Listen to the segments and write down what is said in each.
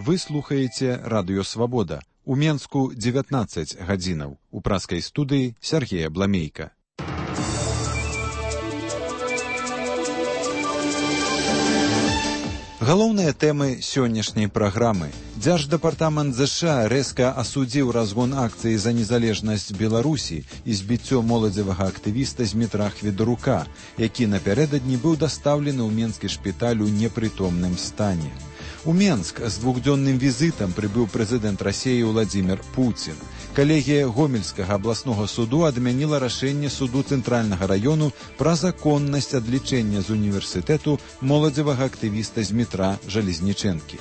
Вы слухаеце Радыё Свабода. У Менску 19 гадзінаў. У праскай студыі Сергея Бламейка. Галоўныя тэмы сённяшняй праграмы. Дзярждэпартамент ЗША рэзка асудзіў разгон акцыі за незалежнасць Беларусі і збіццё моладзевага актывіста Змітра Хведарука, які напярэдадні быў дастаўлены ў менскі шпіталь у непрытомным стане. У Менск з двухдзённым візітам прыбыў прэзідэнт Расіі Владзімір Пуцін. Калегія Гомельскага абласнога суду адмяніла рашэнне суду Цэнтральнага раёну пра законнасць адлічэння з універсітэту моладзевага актывіста Змітра Жалезнічэнкі.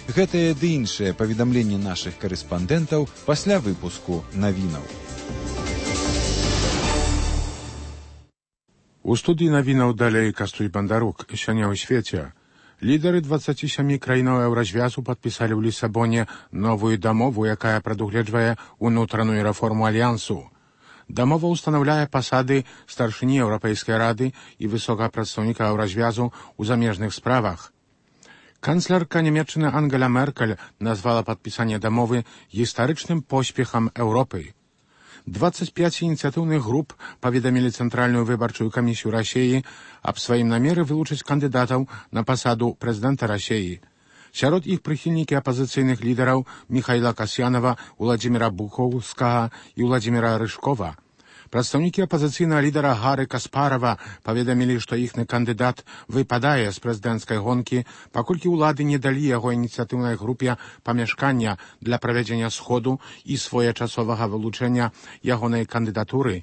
Гэтае ды іншае паведамленне нашых карэспандэнтаў пасля выпуску навінаў. У студыі навінаў далей Кастуй Бандарук. Сёння ў свеце лідары 27 краінаў еўразвязу падпісалі ў Лісабоне новую дамову, якая прадугледжвае ўнутраную рэформу альянсу. Дамова ўстанаўляе пасады старшыні Еўрапейскай рады і высокага прадстаўніка еўразвязу ў замежных справах. Канцлерка Нямецчыны Ангела Меркель назвала падпісанне дамовы гістарычным поспехам Еўропы. 25 ініцыятыўных груп паведамілі Цэнтральную выбарчую камісію Расіі аб сваім намеры вылучыць кандыдатаў на пасаду прэзідэнта Расіі. Сярод іх прыхільнікі апазіцыйных лідараў Міхайла Касьянова, Уладзіміра Бухоўскага і Уладзіміра Рыжкова. Прадстаўнікі апазіцыйнага лідара Гары Каспарава паведамілі, што іхны кандыдат выпадае з прэзідэнцкай гонкі, паколькі ўлады не далі яго ініцыятыўнай групе памяшкання для правядзення сходу і своечасовага вылучэння ягонай кандыдатуры.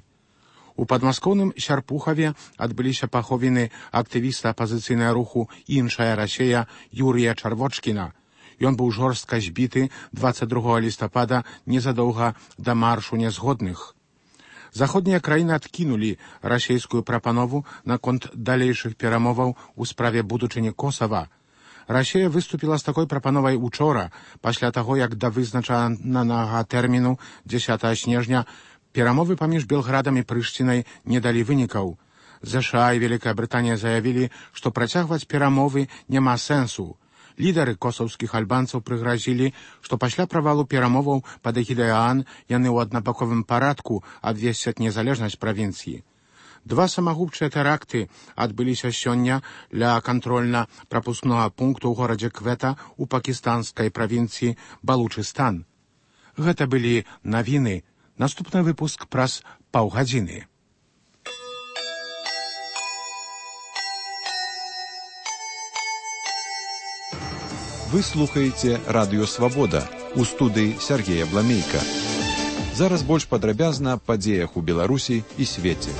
У падмаскоўным Сярпухаве адбыліся паховіны актывіста апазіцыйнага руху «Іншая Расія» Юрія Чарвочкіна. Ён быў жорстка збіты 22 лістапада незадоўга да маршу нязгодных. Заходнія краіны адкінулі расійскую прапанову наконт далейшых перамоваў у справе будучыні Косава. Расія выступіла з такой прапановай учора, пасля таго, як да вызначанага тэрміну 10 снежня перамовы паміж Белградам і Прышцінай не далі вынікаў. ЗША і Вялікая Брытанія заявілі, што працягваць перамовы няма сэнсу. Лідары косаўскіх альбанцаў прыгразілі, што пасля правалу перамоваў пад эгідай ААН яны ў аднабаковым парадку абвесцяць незалежнасць правінцыі. 2 самагубчыя тэракты адбыліся сёння ля кантрольна-прапускнога пункту ў горадзе Квета ў пакістанскай правінцыі Балучыстан. Гэта былі навіны. Наступны выпуск праз паўгадзіны. Вы слухаеце Радыё Свабода. У студыі Сергея Бламейка. Зараз больш падрабязна аб падзеях у Беларусі і свеце.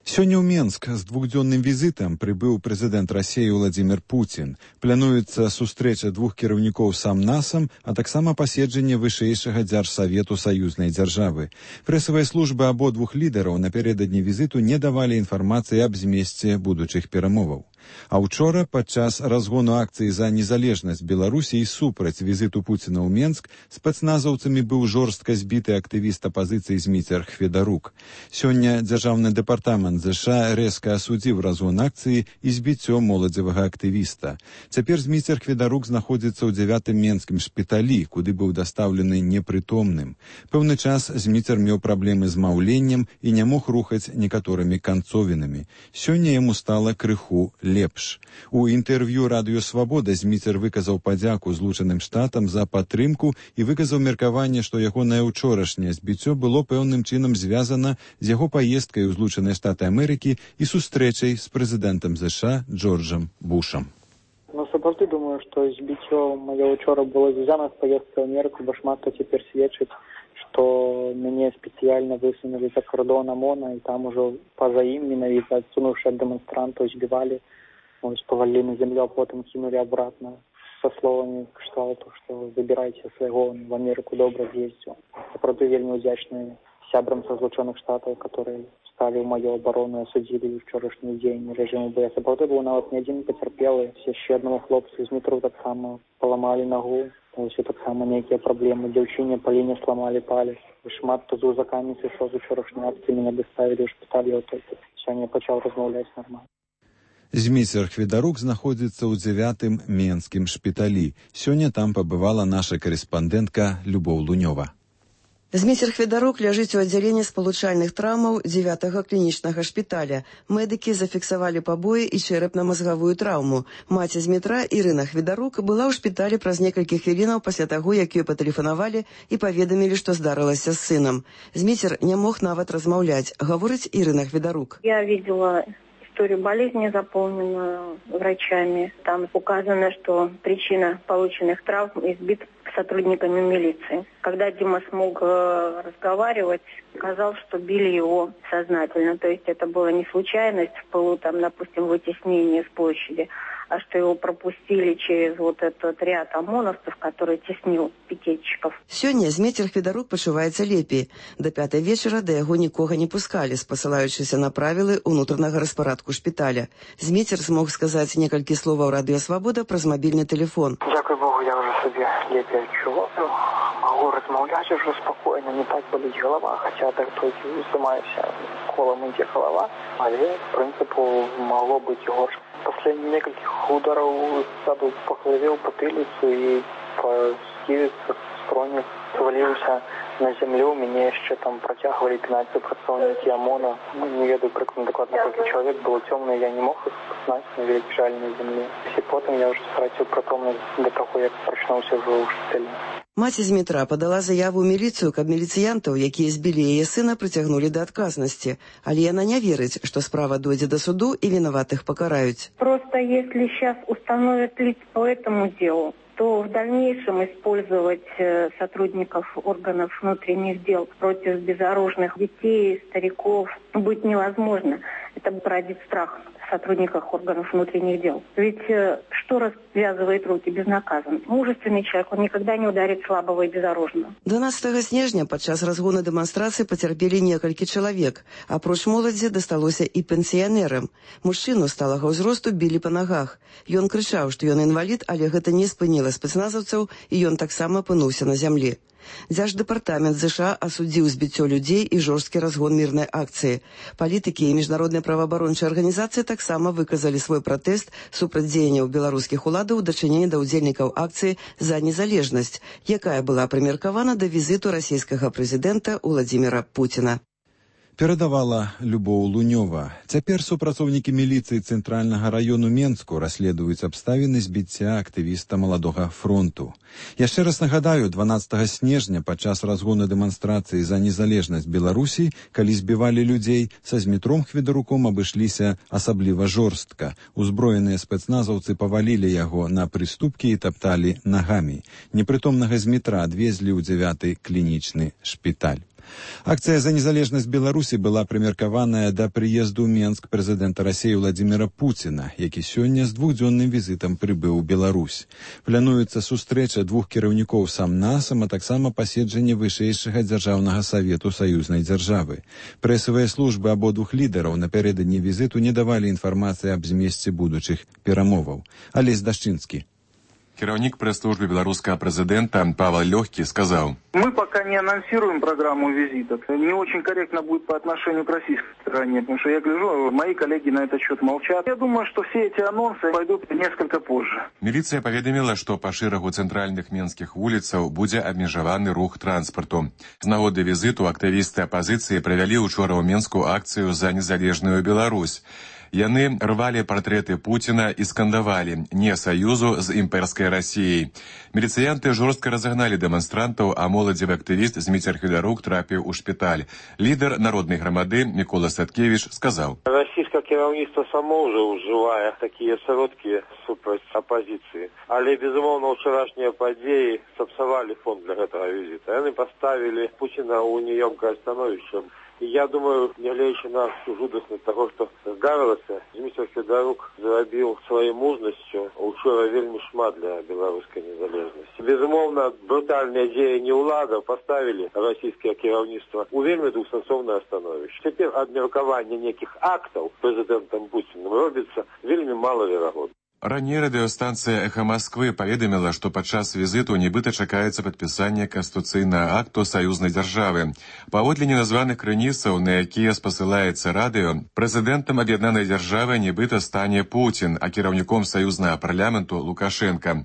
Сёння ў Менск з двухдзённым візітам прыбыў прэзідэнт Расіі Владзімір Пуцін. Плануецца сустрэча двух кіраўнікоў сам-насам, а таксама паседжанне вышэйшага дзяржсавету саюзнай дзяржавы. Прэсавыя службы абодвух лідараў напярэдадні візіту не давалі інфармацыі аб змесце будучых перамоваў. А ўчора, падчас разгону акцыі за незалежнасць Беларусі і супраць візіту Пуціна ў Менск, спецназаўцамі быў жорстка збіты актывіст апазіцыі Зміцер Хведарук. Сёння дзяржаўны дэпартамент ЗША рэзка асудзіў разгон акцыі і збіццё моладзевага актывіста. Цяпер Зміцер Хведарук знаходзіцца ў 9-м менскім шпіталі, куды быў дастаўлены непрытомным. Пэўны час Зміцер меў праблемы з маўленнем і не мог рухаць некаторымі канцовінамі. Сёння яму стала крыху лепш. У інтэрв'ю Радыё Свабода Зміцер выказаў падзяку Злучаным Штатам за падтрымку і выказаў меркаванне, што ягонае ўчорашняе збіццё было пэўным чынам звязана з яго паездкай у Злучаныя Штаты Амерыкі і сустрэчай з прэзідэнтам ЗША Джорджам Бушам. Сапраўды думаю, што збіццё маё ўчора было звязана з паездкай ў Амерыку, бо шмат хто цяпер сведчыць, што мяне спецыяльна высунулі за кордон ОМОНа, і там ужо па-за ім менавіта адсунуўшы ад дэманстрантаў збівалі, повалили на землю, а потом кинули обратно со словами кшталту, что выбирайте своего, в Америку добро съездил. Я, правда, вельми удячный сябрам со Злучених Штатов, которые стали в мою оборону и осудили вчорашний день режиму БС. Я, правда, был нават не один потерпелый. Ще одного хлопцу из метро так само поламали ногу. Ось так само некие проблемы. Девчине Полине сломали палец. Шмат хто з узаками сышоў з учорашняй акції, мене доставили в шпиталь, я только сьогодні почав розмовляти нормально. Зміцер Хведарук знаходзіцца ў 9-м менскім шпіталі. Сёння там пабывала наша карэспандэнтка Любоў Лунёва. Зміцер Хведарук ляжыць у аддзяленні спалучальных траўмаў 9-го клінічнага шпіталя. Медыкі зафіксавалі пабоі і чэрапна-мазгавую траўму. Маці Змітра, Ірына Хведарук, была ў шпіталі праз некалькі хвілінаў пасля таго, як ёй патэлефанавалі і паведамілі, што здарылася з сынам. Зміцер не мог нават размаўляць, гаворыць Ірына Хведарук. Я видела историю болезни, заполненную врачами. Там указано, что причина полученных травм избит сотрудниками милиции. Когда Дима смог разговаривать, сказал, что били его сознательно. То есть это была не случайность в пылу, там, допустим, вытеснения с площади, а что его пропустили через вот этот ряд ОМОНовцев, который теснил пикетчиков. Сёння Зміцер Хведарук пачуваецца лепей. До 5 вечара да яго нікога не пускалі, спасылаючыся на правілы ўнутранага распарадку шпіталя. Зміцер змог сказаць некалькі словаў Радыё Свабода праз мабільны тэлефон. Дякую Богу, я вже собі лепей адчуваю. Могу размаўляць уже спокойно, не так болить голова, хотя так толькі займаюся, колом ідзе голова, але, в принципе, могло быть и горше. После нескольких ударов саду по голове, в потылицу и по скивице, скроне свалился на землю. Меня еще там протягивали 15 представники ОМОНа. Не ведаю докладно, сколько человек было темно, я не мог их знать, но лежали на земле. И потом я уже стратил притомность до того, как прочнулся уже у шпиталя. Маці Змітра падала заяву ў міліцыю, каб міліцыянтаў, якія збілі яе сына, прыцягнулі да адказнасці. Але яна не верыць, што справа дойдзе да суду і вінаватых пакараюць. Просто если сейчас установят лиц по этому делу, то в дальнейшем использовать сотрудников органов внутренних дел против безоружных детей, стариков быть невозможно. Это породит страх в сотрудниках органов внутренних дел. Ведь что развязывает руки безнаказанно? Мужественный человек, он никогда не ударит слабого и безоружного. 12 снежня падчас разгону дэманстрацыі пацярпелі некалькі чалавек. Апроч моладзі дасталося і пенсіянерам. Мужчыну сталага ўзросту білі па нагах. Ён крычаў, што ён інвалід, але гэта не спыніла спецназаўцаў, і ён таксама апынуўся на зямлі. Дзярждэпартамент США асудзіў збіццё людзей і жорсткі разгон мірнай акцыі. Палітыкі і міжнародныя праваабарончыя арганізацыі таксама выказалі свой пратэст супраць дзеянняў беларускіх уладаў у дачыненні да ўдзельнікаў акцыі «За незалежнасць», якая была прымеркавана да візіту расійскага прэзідэнта Уладзіміра Пуціна. Перадавала Любоў Лунёва. Цяпер супрацоўнікі міліцыі цэнтральнага раёну Менску расследуюць абставіны збіцця актывіста Маладога фронту. Яшчэ раз нагадаю, 12 снежня падчас разгону дэманстрацыі за незалежнасць Беларусі, калі збівалі людзей, са Змітром Хведаруком абышліся асабліва жорстка. Узброеныя спецназаўцы павалілі яго на прыступкі і тапталі нагамі. Непрытомнага Змітра адвезлі ў 9-й клінічны шпіталь. Акцыя за незалежнасць Беларусі была прымеркаваная да прыезду ў Менск прэзідэнта Расіі Владзіміра Пуціна, які сёння з двухдзённым візітам прыбыў у Беларусь. Плануецца сустрэча двух кіраўнікоў сам-насам, а таксама паседжанне вышэйшага дзяржаўнага савету саюзнай дзяржавы. Прэсавыя службы абодвух лідараў напярэдадні візіту не давалі інфармацыі аб змесце будучых перамоваў. Алесь Дашчынскі. Кіраўнік прэс-службы беларускага прэзідэнта Павел Лёгкі сказал: Мы пока не анонсируем программу визитов. Не очень корректно будет по отношению к российской стороне, потому что я гляжу, мои коллеги на этот счет молчат. Я думаю, что все эти анонсы пойдут несколько позже. Міліцыя паведаміла, што па шэрагу цэнтральных менскіх вуліцаў будзе абмежаваны рух транспарту. З нагоды візіту актывісты апазіцыі правялі учора ў Менску акцыю за незалежную Беларусь. Яны рвалі партрэты Пуціна і скандавалі «Не саюзу з імперскай Расіяй». Міліцыянты жорстка разагналі дэманстрантаў, а моладзевы актывіст Зміцер Хведарук трапіў у шпіталь. Лідар народнай грамады Мікола Садкевіч сказаў: Расійскае кіраўніцтва само ўжо ўжывае такія сродкі супраць апазіцыі. Але, безумоўна, ўчарашнія падзеі сапсавалі фон для гэтага візіта. Яны паставілі Пуціна ў неёмкае становішча. И я думаю, нягледзячы на жудасць того, что здарылася, Зміцер Хведарук зрабіў сваёй мужнасцю учора вельмі шмат для беларускай незалежнасці. Безумоўна, брутальныя дзеянні ўладаў паставілі расійскае кіраўніцтва ў вельмі двухсэнсоўнае становішча. Цяпер абмеркаванне нейкіх актаў прэзідэнтам Пуцінам робіцца вельмі малаверагодна. Раней радыёстанцыя «Эхо Москвы» паведаміла, што падчас візіту нібыта чакаецца падпісанне канстытуцыйнага акту саюзнай дзяржавы. Паводле неназваных крыніцаў, на якія спасылаецца радыё, прэзідэнтам аб'яднанай дзяржавы нібыта стане Пуцін, а кіраўніком саюзнага парламенту Лукашенка.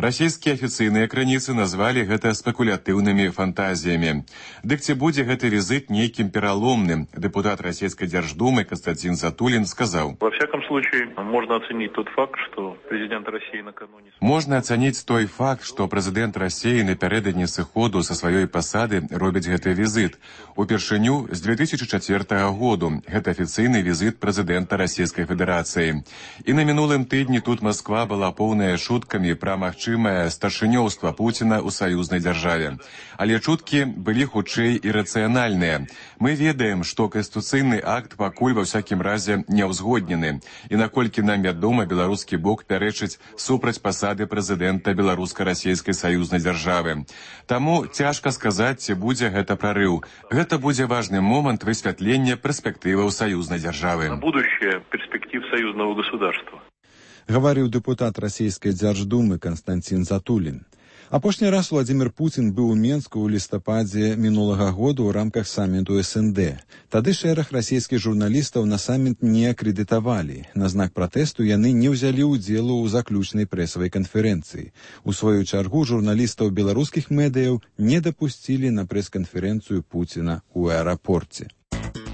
Расійскія афіцыйныя крыніцы назвалі гэта спекулятыўнымі фантазіямі. Дык ці будзе гэты візит нейкім пераломным? Дэпутат Российской Держдумы Константин Затулин сказал: Во всяком случае, можно оценить тот факт, что президент России накануне... Можна ацаніць той факт, што прэзідэнт Расіі напярэдадні сыходу са сваёй пасады робіць гэты візит. Упершыню з 2004 году гэта афіцыйны візит прэзідэнта Расійскай Федэрацыі. І на мінулым тыдні тут Москва была поўная шуткамі пра магчымае старшынёўства Пуціна ў саюзнай дзяржаве. Але чуткі былі хутчэй ірацыянальныя. Мы ведаем, што канстытуцыйны акт пакуль ва ўсякім разе не ўзгоднены. І наколькі нам вядома, беларускі бок пярэчыць супраць пасады прэзідэнта беларуска-расійскай саюзнай дзяржавы. Таму цяжка сказаць, ці будзе гэта прарыў. Гэта будзе важны момант высвятлення перспектываў саюзнай дзяржавы. Будущее перспектив союзного государства. Гаварыў дэпутат Расійскай Дзярждумы Константин Затулин. Апошні раз Владимир Путин быў у Менску ў лістападзе мінулага года ў рамках самміту СНД. Тады шэраг расійскіх журналістаў на самміт не акрэдытавалі. На знак пратэсту яны не ўзялі ўдзелу ў заключнай прэсавай канферэнцыі. У сваю чаргу журналістаў беларускіх медыяў не дапусцілі на прэс-канферэнцыю Пуціна ў аэрапорце.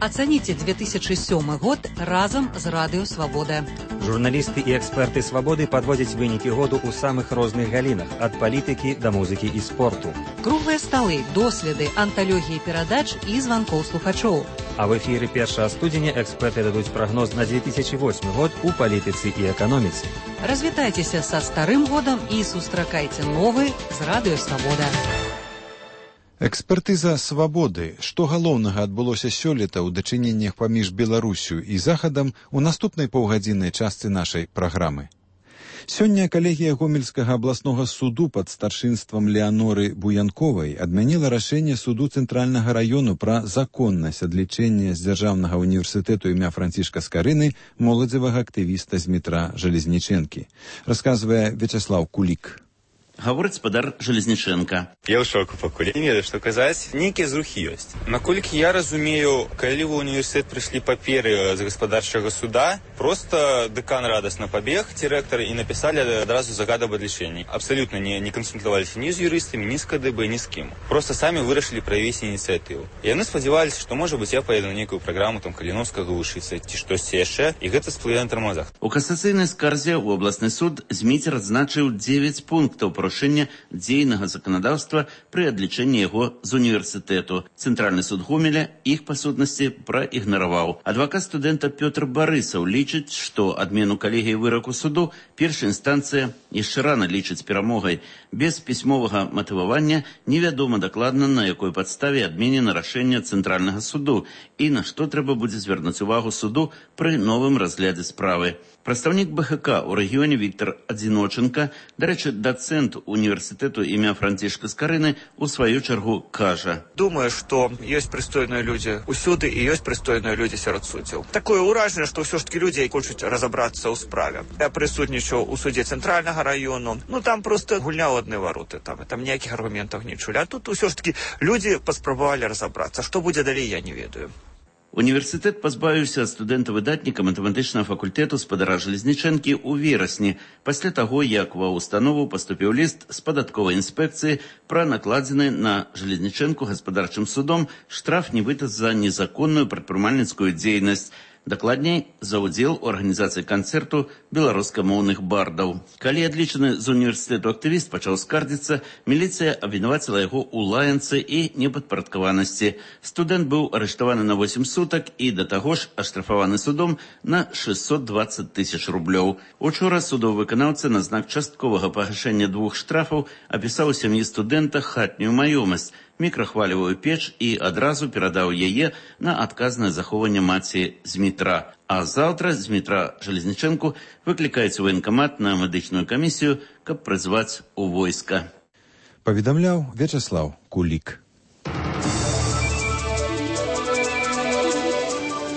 Оцените 2007 год разом з Радыё Свабода. Журналісты і эксперты Свабоды падводзяць вынікі году ў самых розных галінах, ад палітыкі да музыкі і спорту. Круглыя сталы, доследы, анталогіі перадач і званкоў слухачоў. А в эфіры 1 студзеня эксперты дадуць прагноз на 2008 год у палітыцы і эканоміцы. Развітайцеся са старым годам і сустракайце новы з Радыё Свабода. Экспертыза «Свабоды». Што галоўнага адбылося сёлета ў дачыненнях паміж Беларусю і Захадам у наступнай паўгадзіннай частцы нашай праграмы. Сёння калегія Гомельскага абласнога суду пад старшынствам Леаноры Буянковай адмяніла рашэнне суду Цэнтральнага раёну пра законнасць адлічэння з Дзяржаўнага універсітэту імя Францішка Скарыны моладзевага актывіста з метра Жалезнічэнкі. Расказвае Вячеслав Кулік. Гаворыць спадар Жалезнічэнка. Я ў шоку пакуль. Не ведаю, што казаць. Нейкія зрухі ёсць. Наколькі я разумею, калі ў універсітэт прыйшлі паперы з гаспадарчага суда, проста дэкан радасна пабег, ці рэктар, і напісалі адразу загад аб адлічэнні. Абсалютна не кансультаваліся ні з юрыстамі, ні з КДБ, ні з кім. Проста самі вырашылі праявіць ініцыятыву. Яны спадзяваліся, што, можа быць, я паеду на нейкую праграму там Каліновскага вучыцца, ці штосьці яшчэ, і гэта сплыве на тармазах. У касацыйнай скарзе ў абласны суд Зміцер адзначыў 9 пунктаў парушэння дзейнага заканадаўства пры адлічэнні яго з універсітэту. Цэнтральны суд Гомеля іх па сутнасці праігнараваў. Адвакат студэнта Пётр Барысаў лічыць, што адмену калегіі выраку суду першая інстанцыя яшчэ рана лічыць перамогай. Без пісьмовага матывавання невядома дакладна, на якой падставе адменена рашэнне Цэнтральнага суду і на што трэба будзе звярнуць увагу суду пры новым разглядзе справы. Прадстаўнік БХК ў рэгіёне Віктор Адзіноченка, дарэчы, дацэнт універсітэту імя Францішка Скарыны, у сваю чаргу кажа: Думаю, што ёсць прыстойныя людзі ўсюды і ёсць прыстойныя людзі сярод суддзяў. Такое ўражанне, што ўсё ж такі людзі хочуць разабрацца ў справе. Я прысутнічаў у судзе Цэнтральнага раёну. Там проста гульня ў адны вароты. Там ніякіх аргументаў не чулі. А тут усё ж такі людзі паспрабавалі разабрацца. Што будзе далей, я не ведаю. Універсітэт пазбавіўся ад студэнта-выдатніка матэматычнага факультэту спадара Жалезнічэнкі ў верасні, пасля таго, як ва ўстанову паступіў ліст з падатковай інспекцыі пра накладзены на Жалезнічэнку гаспадарчым судом штраф нібыта за незаконную прадпрымальніцкую дзейнасць, дакладней, за ўдзел у арганізацыі канцэрту беларускамоўных бардаў. Калі адлічаны з універсітэту актывіст пачаў скардзіцца, міліцыя абвінаваціла яго ў лаянцы і непадпарадкаванасці. Студэнт быў арыштаваны на 8 сутак і да таго ж аштрафаваны судом на 620 000 рублёў. Учора судовы выканаўца на знак частковага пагашэння 2 штрафаў апісаў сям'і студэнта хатнюю маёмасць, мікрахвалевую печ і адразу перадаў яе на адказнае захоўванне маці з метра. А заўтра з метра Жалезнічэнку выклікаецца ў ваенкамат на медычную камісію, каб прызваць у войска. Паведамляў Вячеслав Кулік.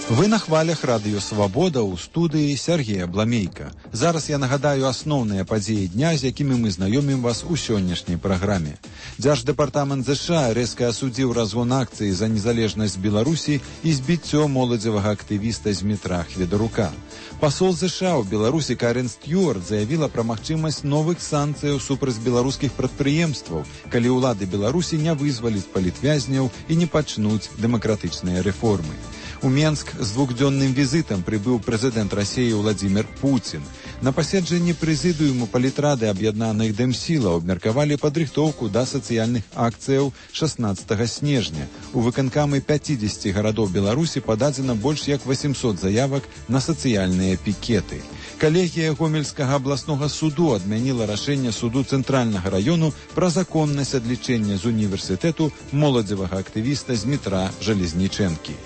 Вы на хвалях радыё «Свабода» ў студыі Сергея Бламейка. Зараз я нагадаю асноўныя падзеі дня, з якімі мы знаёмім вас у сённяшняй праграме. Дзярждэпартамент ЗША рэзка асудзіў разгон акцыі за незалежнасць Беларусі і збіццё моладзевага актывіста з метра Хведарука. Пасол ЗША ў Беларусі Карен Стюарт заявіла пра магчымасць новых санкцыяў супраць беларускіх прадпрыемстваў, калі ўлады Беларусі не вызваляць палітвязняў і не пачнуць дэмакратычныя рэформы. У Менск з двухдзённым візітам прыбыў прэзідэнт Расіі Владзімір Пуцін. На паседжанні прэзідыуму палітрады аб'яднаных дэмсілаў абмеркавалі падрыхтоўку да сацыяльных акцыяў 16 снежня. У выканкамы 50 гарадоў Беларусі пададзена больш як 800 заявак на сацыяльныя пікеты. Калегія Гомельскага абласнога суду адмяніла рашэнне суду цэнтральнага раёну пра законнасць адлічэння з універсітэту моладзевага актывіста з метра Жалезнічэнкі.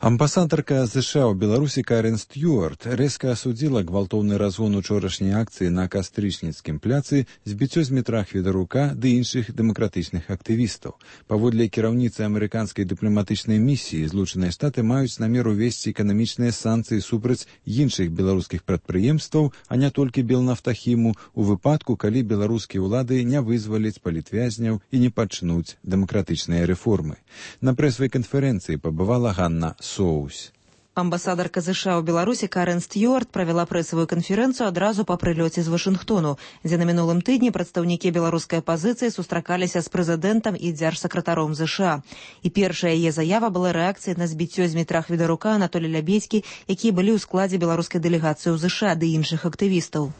Амбасадарка ЗША ў Беларусі Карен Стюарт рэзка асудзіла гвалтоўны разгон учорашняй акцыі на Кастрычніцкім пляцы, збіццё з метра Хведарука ды іншых дэмакратычных актывістаў. Паводле кіраўніцы амерыканскай дыпламатычнай місіі, Злучаныя Штаты маюць намер увесці эканамічныя санкцыі супраць іншых беларускіх прадпрыемстваў, а не толькі Белнафтахіму, у выпадку, калі беларускія ўлады не вызваляць палітвязняў і не пачнуць дэмакратычныя рэформы. На прэсавай канферэнцыі пабывала Ганна Соус. Амбасадарка ЗША ў Беларусі Карен Стюарт правяла прэсавую канферэнцыю адразу па прылёце з Вашынгтону, дзе на мінулым тыдні прадстаўнікі беларускай апазіцыі сустракаліся з прэзідэнтам і дзяржсакратаром ЗША. І першая яе заява была рэакцыяй на збіццё з метра Хведарука Анатолія Лябедзькі, якія былі ў складзе беларускай дэлегацыі ў ЗША ды іншых актывістаў.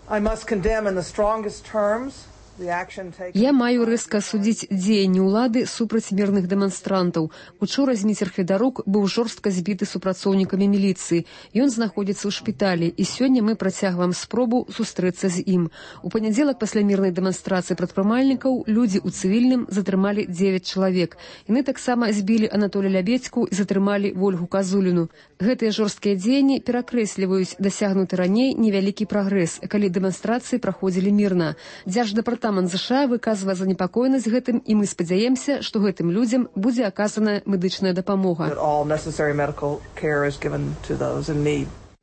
Я маю рэзка асудзіць дзеянні ўлады супраць мірных дэманстрантаў. Учора Зміцер Хведарук быў жорстка збіты супрацоўнікамі міліцыі. Ён знаходзіцца ў шпіталі, і сёння мы працягваем спробу сустрэцца з ім. У панядзелак пасля мірнай дэманстрацыі прадпрымальнікаў людзі ў цывільным затрымалі 9 чалавек. Яны таксама збілі Анатолія Лябедзьку і затрымалі Вольгу Казуліну. Гэтыя жорсткія дзеянні перакрэсліваюць дасягнуты раней невялікі прагрэс, калі дэманстрацыі праходзілі мірна. Дзярждэпартамент ЗША выказвае занепакоенасць гэтым, і мы спадзяемся, што гэтым людзям будзе аказана медычная дапамога.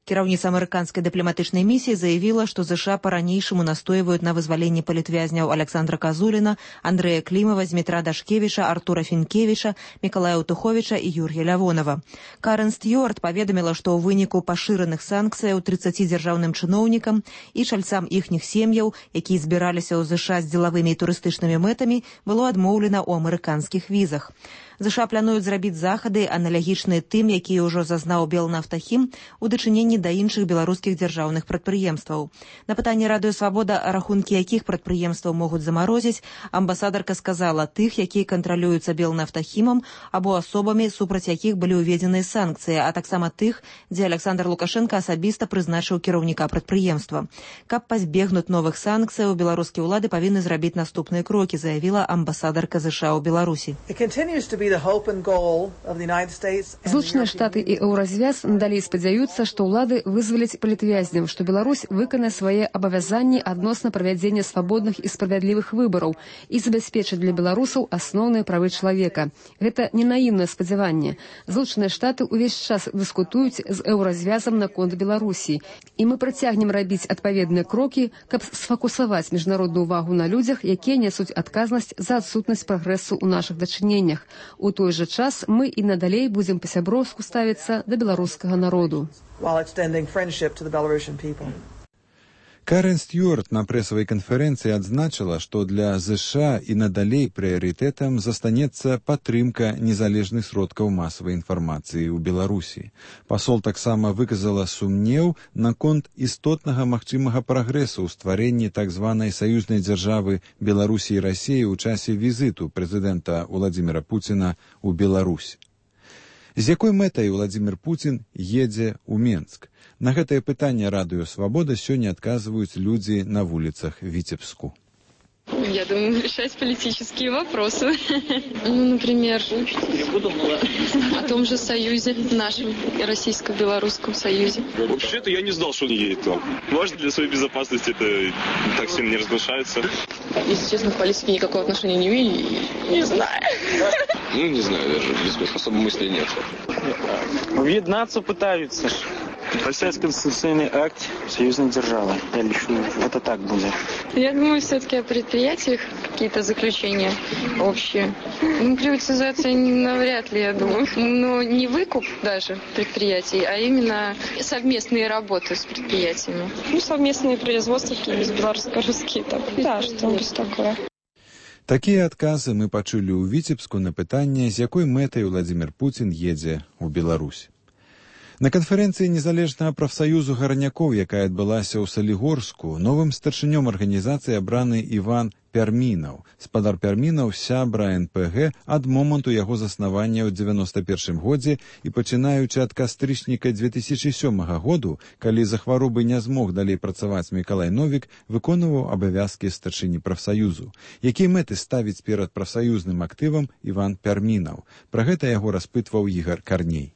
Кіраўніца амерыканскай дыпламатычнай місіі заявіла, што ЗША па-ранейшаму настойваюць на вызваленні палітвязняў Александра Казуліна, Андрэя Клімава, Змітра Дашкевіча, Артура Фінкевіча, Мікалая Утуховіча і Юр'я Лявонова. Карен Стюарт паведаміла, што ў выніку пашыраных санкцыяў 30 дзяржаўным чыноўнікам і чальцам іхніх сем'яў, якія збіраліся ў ЗША з дзелавымі і турыстычнымі мэтамі, было адмоўлена ў амерыканскіх візах. ЗША плануюць зрабіць захады, аналагічныя тым, якія ўжо зазнаў Белнафтахім у дачыненні да іншых беларускіх дзяржаўных прадпрыемстваў. На пытанне радыё «Свабода», рахункі якіх прадпрыемстваў могуць замарозіць, амбасадарка сказала тых, якія кантралююцца Белнафтахімам або асобамі, супраць якіх былі ўведзеныя санкцыі, а таксама тых, дзе Александр Лукашенко асабіста прызначыў кіраўніка прадпрыемства. Каб пазбегнуць новых санкцыяў, беларускія ўлады павінны зрабіць наступныя крокі, заявіла амбасадарка ЗША ў Беларусі. Злучаныя Штаты і Еўразвяз надалей спадзяюцца, што ўлады вызваляць палітвязняў, што Беларусь выканае свае абавязанні адносна правядзення свабодных і справядлівых выбараў і забяспечыць для беларусаў асноўныя правы чалавека. Гэта не наіўнае спадзяванне. Злучаныя Штаты ўвесь час дыскутуюць з Еўразвязам наконт Беларусі, і мы працягнем рабіць адпаведныя крокі, каб сфокусаваць міжнародную ўвагу на людзях, якія нясуць адказнасць за адсутнасць прагрэсу ў нашых дачыненнях. У той жа час мы і надалей будзем па-сяброўску ставіцца да беларускага народу. Карен Стюарт на прэсавай канферэнцыі адзначыла, што для ЗША і надалей прыярытэтам застанецца падтрымка незалежных сродкаў масавай інфармацыі ў Беларусі. Пасол таксама выказала сумнеў наконт істотнага магчымага прагрэсу ў стварэнні так званай саюзнай дзяржавы Беларусі і Расіі ў часе візіту прэзідэнта Владзіміра Пуціна ў Беларусь. З якой мэтай Владзімір Пуцін едзе ў Менск? На гэтае пытанне радыё «Свабода» сёння адказваюць людзі на вуліцах Віцебску. Я думаю, решать политические вопросы. Ну, например, о том же союзе, нашем российско-белорусском союзе. Вообще-то я не знал, что он едет там. Может, для своей безопасности это так сильно не разглашается. Если честно, к политике никакого отношения не имею. Не знаю. Ну, не знаю, даже особо мыслей нет. Объединяться пытаются. Подписать конституционный акт союзной державы. Я лечу, это так будет. Я думаю, все-таки о предприятиях какие-то заключения общие. Приватизация навряд ли, я думаю. Но не выкуп даже предприятий, а именно совместные работы с предприятиями. Совместные производства какие-нибудь белорусско-русские. Да, что-нибудь такое. Такія адказы мы пачулі ў Віцебску на пытанне, з якой мэтай Владзімір Пуцін едзе ў Беларусь. На канферэнцыі незалежнага прафсаюзу гарнякоў, якая адбылася ў Салігорску, новым старшынём арганізацыі абраны Іван Пярмінаў. Спадар Пярмінаў сябра НПГ ад моманту яго заснавання ў 91 годзе і пачынаючы ад кастрычніка 2007 году, калі за хваробы не змог далей працаваць Мікалай Новік, выконваў абавязкі старшыні прафсаюзу. Якія мэты ставіць перад прафсаюзным актывам Іван Пярмінаў? Пра гэта яго распытваў Ігар Карней.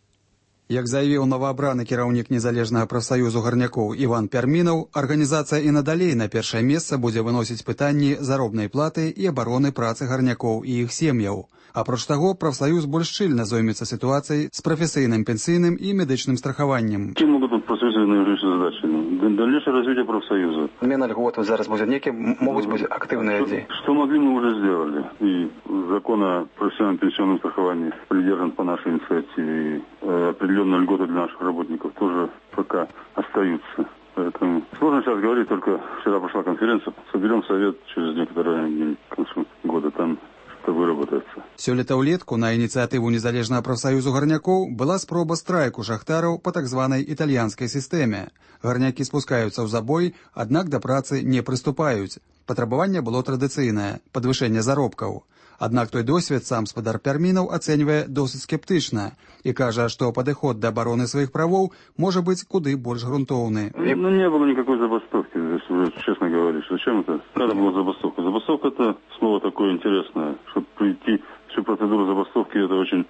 Як заявіў новаабраны кіраўнік незалежнага прафсаюзу гарнякоў Іван Пярмінаў, арганізацыя і надалей на першае месца будзе выносіць пытанні заробнай платы і абароны працы гарнякоў і іх сем'яў. Апроч таго, прафсаюз больш шчыльна зоймецца сітуацыяй з прафесійным пенсійным і медычным страхаваннем. Какие могут быть профессиональные задачи? Дальнейшее развитие профсоюза. Отмена льгот зараз будет некие, могут быть активные идеи. Что могли, мы уже сделали. И закон о профессиональном пенсионном страховании придержан по нашей инициативе. И определенные льготы для наших работников тоже пока остаются. Поэтому сложно сейчас говорить, только вчера прошла конференция. Соберем совет через некоторое время, к концу года там выработается. Сёлета ўлетку на ініцыятыву незалежнага прафсаюзу гарнякоў была спроба страйку шахтараў па так званай італьянскай сістэме. Гарнякі спускаюцца ў забой, аднак да працы не прыступаюць. Патрабаванне было традыцыйнае – падвышэнне заробкаў. Аднак той досвед сам спадар Пярмінаў ацэньвае досыць скептычна і кажа, што падыход да абароны сваіх правоў можа быць куды больш грунтоўны. Ну, не было никакой забастовки, если уже честно говорить. Зачем это? Когда была забастовка? Забастовка – это слово такое интересное, чтобы пройти всю процедуру забастовки, это очень...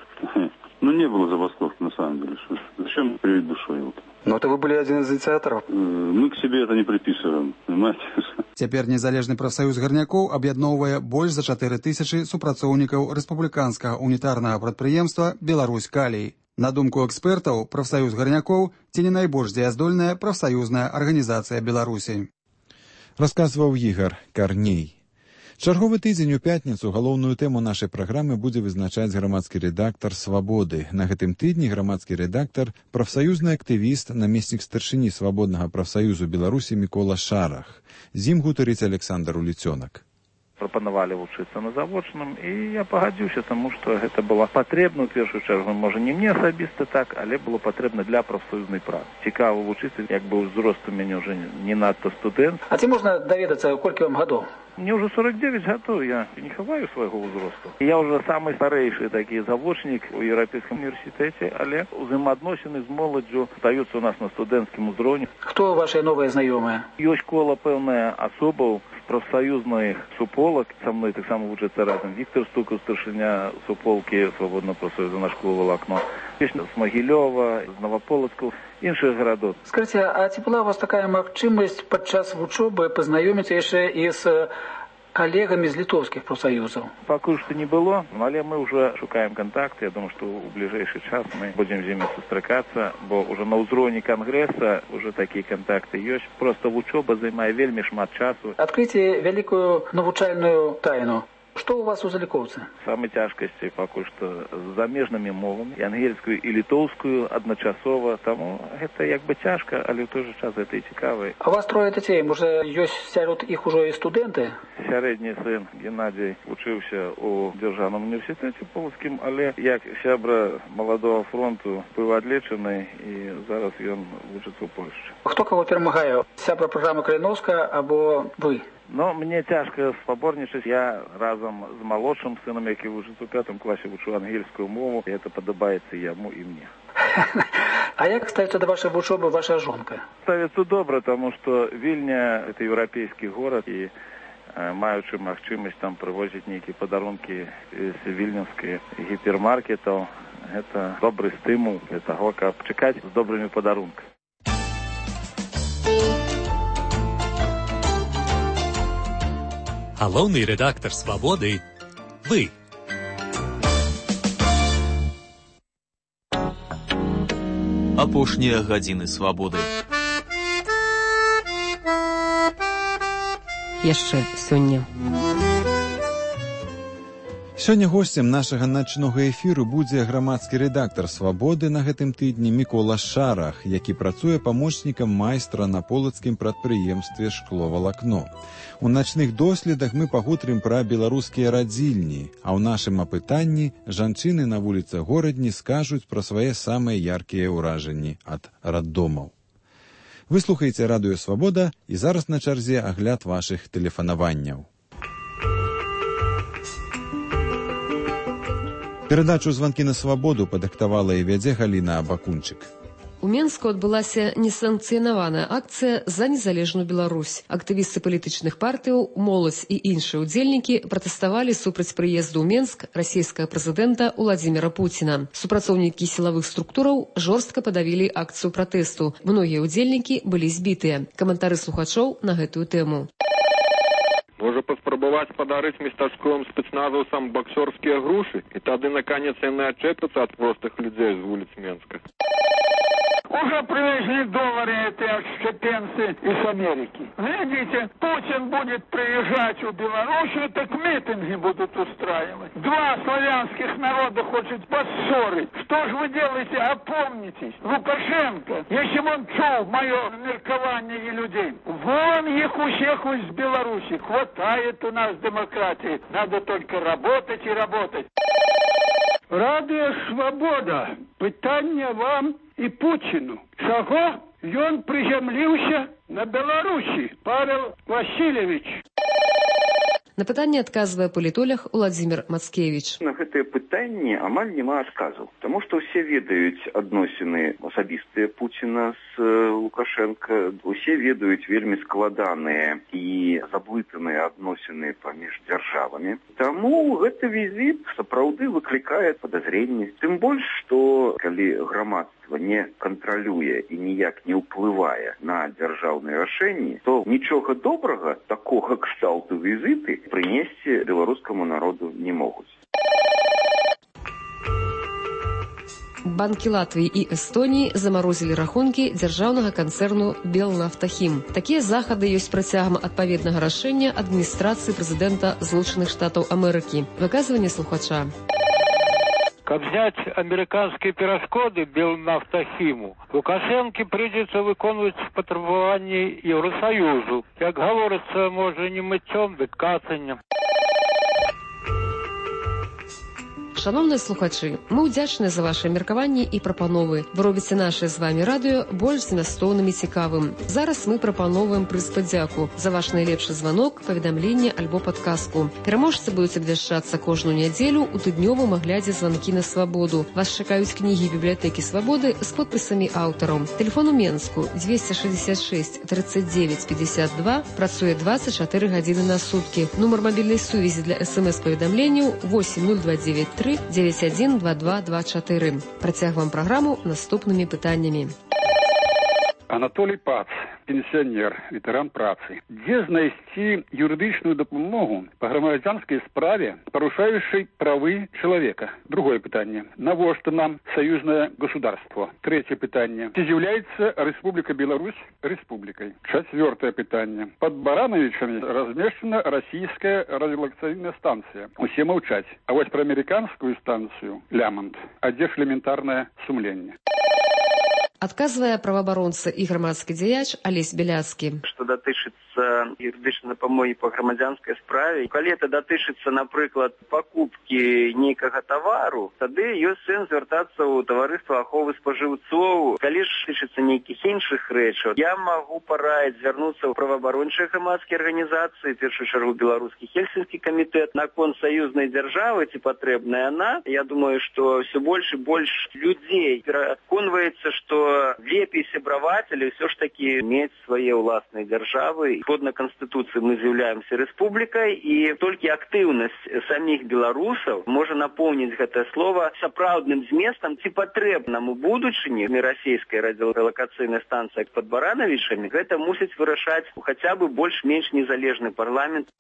Ну, не было забастовки, на самом деле. Зачем привить душой? Но это вы были один из инициаторов. Мы к себе это не приписываем, понимаете? Цяпер незалежны прафсаюз гарнякоў аб'ядноўвае больш за 4000 супрацоўнікаў рэспубліканскага унітарнага прадпрыемства «Беларусь Калій». На думку экспертаў, прафсаюз гарнякоў ці не найбольш дзеяздольная прафсаюзная арганізацыя Беларусі. Расказваў Ігар Карней. Чарговы тыдзень у пятніцу галоўную тэму нашай праграмы будзе вызначаць грамадскі рэдактар «Свабоды». На гэтым тыдні грамадскі рэдактар, прафсаюзны актывіст, намеснік старшыні свабоднага прафсаюзу Беларусі Мікола Шарах. З ім гутарыць Александр Уліцёнак. Прапанавалі вучыцца на завочным, і я пагадзіўся, таму што гэта было патрэбна, у першую чаргу, можа, не мне асабіста так, але было патрэбна для прафсаюзнай працы. Цікава вучыцца, як бы ўзрост у мяне ўжо не надта студэнт. А ці можна даведацца, колькі вам гадоў? Мне уже 49 гадоў, я не хаваю свайго ўзросту. Я уже самы старэйшы такі завочнік у Еўрапейскім універсітэце, але узаемаадносіны з моладдзю стаюцца у нас на студэнцкім узроўні. Хто вашыя новыя знаёмыя? Ёсць кола пэўная асобаў з прафсаюзных суполак. Са мной таксама вучыцца разам Віктор Стукаў, старшыня суполкі свабоднага прафсаюза «Наш клуб Валакно». Ёсць з Магілёва, з Новаполацку, іншых гарадоў. Скажыце, а ці была у вас такая магчымасць падчас вучобы пазнаёміцца яшчэ і з коллегами из литовских профсоюзов? Пока что не было, але мы уже шукаем контакты. Я думаю, что в ближайший час мы будем с ними сустракаться, бо уже на ўзроўні конгресса уже такие контакты есть. Просто вучоба займае вельмі шмат часу. Откройте великую навучальную тайну. Что у вас у залікоўцы? Самые тяжкости пока что с замежными мовами, и ангельскую, и литовскую одночасово. Тому это як бы тяжко, але в той же час это и цікаво. А у вас трое детей, може, есть сярод их уже и студенты? Сярэдні сын Геннадий учился у Державном университете Полоцким, але як сябра молодого фронту был одлечений, и зараз он учится в Польше. Хто кого перемагає? Сябра програми Калиновская або ви? Но мне тяжко спаборнічаць. Я разом з малодшим сыном, який вучыцца ў 5 класе, вучу ангельскую мову, и это падабаецца яму и мне. А як ставится до вашей вучобы ваша жонка? Ставится добра, потому что Вильня – это европейский город, и маючы магчымасць там прывозіць нейкія падарункі з вільнюскіх гіпермаркетаў, это добрый стымул для того, каб чакаць з добрымі падарункамі. Галоўны рэдактар «Свабоды» – вы. Апошнія гадзіны свабоды. Яшчэ сёння. Сёння госцем нашага начнога эфіру будзе грамадскі рэдактар «Свабоды» на гэтым тыдні Мікола Шарах, які працуе памочнікам майстра на полацкім прадпрыемстве «Шкловалакно». У начных доследах мы пагутрым пра беларускія радзільні, а ў нашым апытанні жанчыны на вуліцах горадні скажуць пра свае самыя яркія ўражанні ад раддомаў. Вы слухаеце радыё «Свабода» і зараз на чарзе агляд вашых тэлефанаванняў. Перадачу «Званкі на свабоду» падыктавала і вядзе Галіна Абакунчык. У Менску адбылася несанкцыянаваная акцыя за незалежную Беларусь. Актывісты палітычных партыяў, моладзь і іншыя ўдзельнікі пратэставалі супраць прыезду ў Менск расійскага прэзідэнта Уладзіміра Пуціна. Супрацоўнікі сілавых структураў жорстка падавілі акцыю пратэсту. Многія ўдзельнікі былі збітыя. Каментары слухачоў на гэтую тэму. Можа паспрабаваць падарыць местачковым спецназаўцам баксёрскія грушы, і тады, наконец, яны адчэпяцца ад простых людзей з вуліц Менска. Уже привезли доллары эти отщепенцы из Америки. Глядите, Путин будет приезжать в Белоруссию, так митинги будут устраивать. Два славянских народа хочет поссорить. Что же вы делаете? Опомнитесь. Лукашенко, если бы он чул мое меркование людей, вон их у всех из Беларуси. Хватает у нас демократии. Надо только работать и работать. Радыё «Свабода». Пытанне вам і Путіну. Чаго ён прызямліўся на Беларусі, Павел Васильевич? На пытанне адказвае палітолог Уладзімір Мацкевіч. На гэтае пытанне амаль няма адказу, таму што ўсе ведаюць адносіны асабістыя Пуціна з Лукашенко, усе ведаюць вельмі складаныя і заблытаныя адносіны паміж дзяржавамі. Таму гэты візіт сапраўды выклікае падазренні. Тым больш, што калі грамадства не кантралюе і ніяк не ўплывае на дзяржаўныя рашэнні, то нічога добрага такога кшталту візіты прынесці беларускаму народу не могуць. Банкі Латвіі і Эстоніі замарозілі рахункі дзяржаўнага канцэрну «Белнафтахім». Такія захады ёсць працягам адпаведнага рашэння адміністрацыі прэзідэнта Злучаных Штатаў Амерыкі. Выказванне слухача. Как взять американские перешкоды Белнафтахиму, Лукашенко придется выполнять потребования Евросоюзу. Как говорится, может, не мытьем, да кацаннем. Шановныя слухачы, мы ўдзячныя за ваши меркаванні і прапановы. Вы робіце наше з вами радыё больш змястоўным і цікавым. Зараз мы прапановваем прыз падзяку за ваш найлепшы званок, паведамленне альбо падказку. Пераможцы будуць абвяшчацца кожную нядзелю ў тыднёвым аглядзе «Званкі на свабоду». Вас чакаюць кнігі бібліятэкі «Свабоды» з подпісамі аўтараў. Тэлефон у Менску 266 39 52, працуе 24 гадзіны на суткі. Нумар мабільнай сувязі для СМС-паведамленняў 80293 912224. Працягваем праграму наступнымі пытаннямі. Анатолий Пац, пенсионер, ветеран працы. Где знайсці юридичную допомогу по громадянской справе, порушающей правы человека? Другое питание. Навошта нам союзное государство? Третье питание. Ці является Республика Беларусь республикой? Четвертое питание. Под Барановичами размещена российская радиолокационная станция. Усе молчать. А вот про американскую станцию Лямонт. А где ж элементарное сумление? Адказвае праваабаронца і грамадскі дзеяч Алесь Беляцкі. Што датычыцца юрыдычнай дапамогі па грамадзянскай справе, калі это датычыцца, напрыклад, пакупкі нейкага тавару, тады ёсць сэнс звяртацца ў таварыства аховы спажыўцоў. Калі ж тычыцца нейкіх іншых рэчаў, я магу параіць звярнуцца ў праваабарончыя грамадскія арганізацыі, в першую чаргу беларускі хельсінскі камітэт, наконт саюзнай дзяржавы, ці патрэбная яна. Я думаю, што ўсё больш і больш людзей пераконваецца, што лепей сябраваць, але ўсё ж такі мець свае ўласныя дзяржавы. Згодна Канстытуцыі мы з'яўляемся рэспублікай, і толькі актыўнасць саміх беларусаў можа напоўніць гэтае слова сапраўдным зместам, ці патрэбнаму будучыні расійскай радыёлакацыйнай станцыі пад Барановічамі. Гэта мусіць вырашаць хаця бы больш-менш незалежны парламент.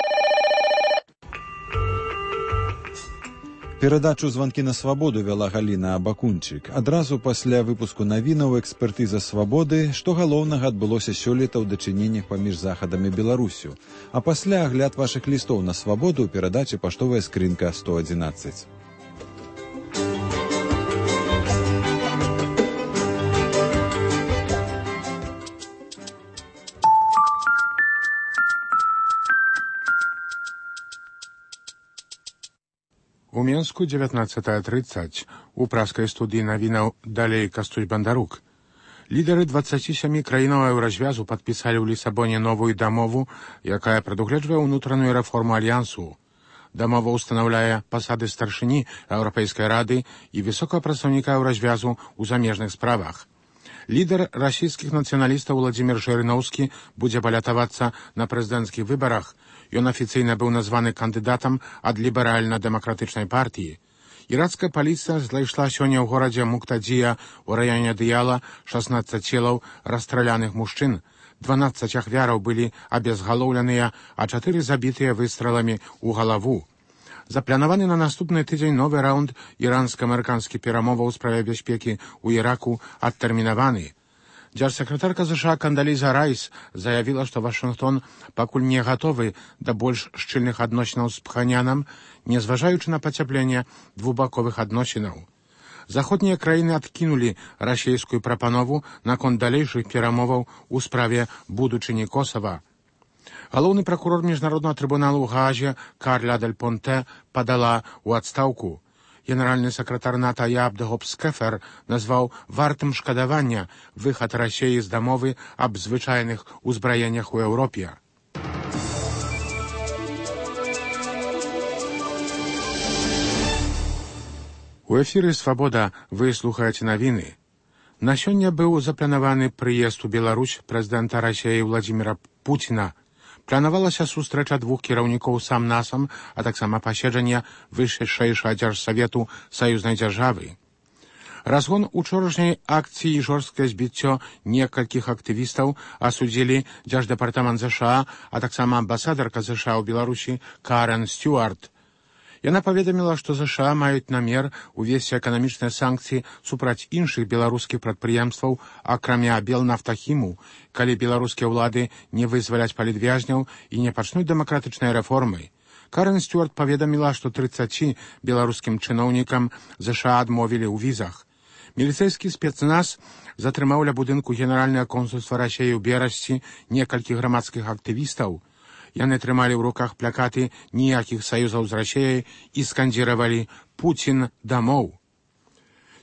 Перадачу «Званкі на свабоду» вяла Галіна Абакунчык. Адразу пасля выпуску навінаў экспертыза свабоды, што галоўнага адбылося сёлета ў дачыненнях паміж Захадам і Беларусю. А пасля агляд вашых лістоў на свабоду ў перадачы «Паштовая скрынка 111». У Менску 19:30 у праскай студыі навінаў далей Кастусь Бандарук. Лідары 27 краінаў еўразвязу падпісалі ў Лісабоне новую дамову, якая прадугледжвае ўнутраную рэформу альянсу. Дамова ўстанаўляе пасады старшыні Еўрапейскай рады і высокага прадстаўніка еўразвязу ў замежных справах. Лідар расійскіх нацыяналістаў Владзімір Жырыноўскі будзе балятавацца на прэзідэнцкіх выбарах. Ён афіцыйна быў названы кандыдатам ад ліберальна-дэмакратычнай партыі. Іракская паліцыя знайшла сёння ў горадзе Муктадзія ў раёне Дыяла 16 целаў расстраляных мужчын. 12 ахвяраў былі абезгалоўленыя, а 4 забітыя выстраламі ў галаву. Запланаваны на наступны тыдзень новы раунд іранска-амерыканскіх перамоваў у справе бяспекі ў Іраку адтэрмінаваны. Дзяржсакратарка США Кандаліза Райс заявіла, што Вашынгтон пакуль не гатовы да больш шчыльных адносінаў з Пханьянам, незважаючы на пацяпленне двухбаковых адносінаў. Заходнія краіны адкінулі расійскую прапанову наконт далейшых перамоваў у справе будучыні Косава. Галоўны пракурор міжнароднага трыбуналу ў Гаазе Карля Дель Понте падала ў адстаўку. Генеральны сакратар НАТО Ябд Гобскефер назваў вартым шкадавання выхад Расіі з дамовы аб звычайных узбраеннях у Еўропе. У эфіры «Свабода» вы слухаеце навіны. На сёння быў запланаваны прыезд у Беларусь прэзідэнта Расіі Владзіміра Пуціна. Планавалася сустрэча двух кіраўнікоў сам-насам, а таксама паседжанне вышэйшага дзяржсавету саюзнай дзяржавы. Разгон учорашняй акцыі і жорсткае збіццё некалькіх актывістаў асудзілі дзярждэпартамент США, а таксама амбасадарка США ў Беларусі Карен Стюарт. Яна паведаміла, што США маюць намер увесці эканамічныя санкцыі супраць іншых беларускіх прадпрыемстваў, акрамя Белнафтахіму, калі беларускія ўлады не вызваляць палітвязняў і не пачнуць дэмакратычныя рэформы. Карен Стюарт паведаміла, што 30 беларускім чыноўнікам США адмовілі ў візах. Міліцэйскі спецназ затрымаў ля будынку генеральнага консульства Расіі ў Берасці некалькіх грамадскіх актывістаў. Яны трымалі ў руках плакаты «Ніякіх саюзаў з Расіяй» і скандзіравалі «Пуцін дамоў».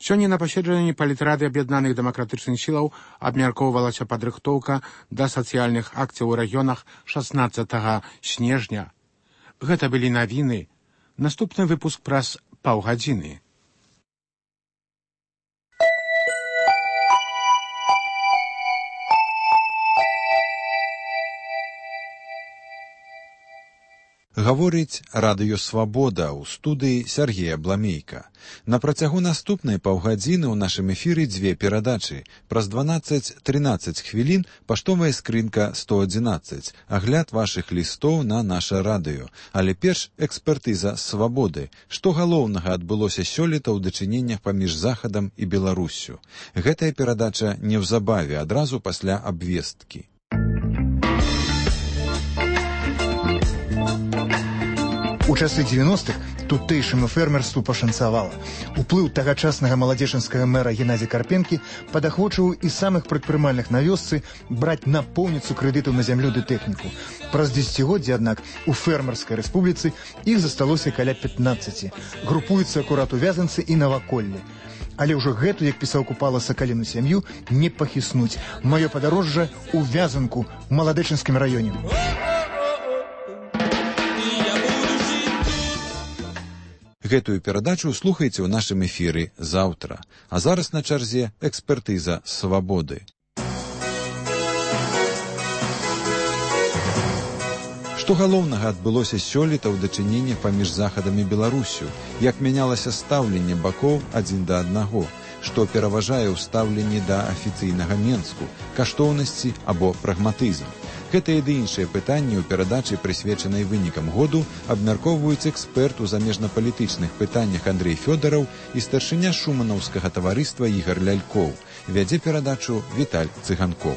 Сёння на паседжанні палітрады аб'яднаных дэмакратычных сілаў абмяркоўвалася падрыхтоўка да сацыяльных акцый у рэгіёнах 16 снежня. Гэта былі навіны. Наступны выпуск праз паўгадзіны. Гаворыць радыё «Свабода» ў студыі Сергея Бламейка. На працягу наступнай паўгадзіны ў нашым эфіры дзве перадачы. Праз 12-13 хвілін паштовая скрынка 111. Агляд вашых лістоў на наша радыё. Але перш экспертыза «Свабоды». Што галоўнага адбылося сёлета ў дачыненнях паміж Захадам і Беларуссю. Гэтая перадача неўзабаве, адразу пасля абвесткі. У часы 90-х тутэйшаму фермерству пашанцавала. Уплыў тагачаснага маладзечанскага мэра Геннадзя Карпенкі падахвочыў і самых прадпрымальных на вёсцы браць напоўніцу крэдытаў на зямлю ды тэхніку. Праз дзесяцігоддзі, аднак, у фермерскай рэспубліцы іх засталося каля 15. Групуюцца акурат у Вязанцы і Наваколлі. Але ўжо гэту, як пісаў Купала, сакаліну сям'ю не пахіснуць. Маё падарожжа ў Вязанку, у маладэчанскім раёне. Гэтую перадачу слухайце ў нашым эфіры заўтра. А зараз на чарзе экспертыза «Свабоды». Што галоўнага адбылося сёлета ў дачыненнях паміж Захадам і Беларуссю, як мянялася стаўленне бакоў адзін да аднаго, што пераважае ў стаўленні да афіцыйнага Менску, каштоўнасці або прагматызм. Гэтыя ды іншыя пытанні ў перадачы, прысвечанай вынікам году, абмяркоўваюць эксперт у замежнапалітычных пытаннях Андрэй Фёдараў і старшыня шуманаўскага таварыства Ігар Лялькоў. Вядзе перадачу Віталь Цыганкоў.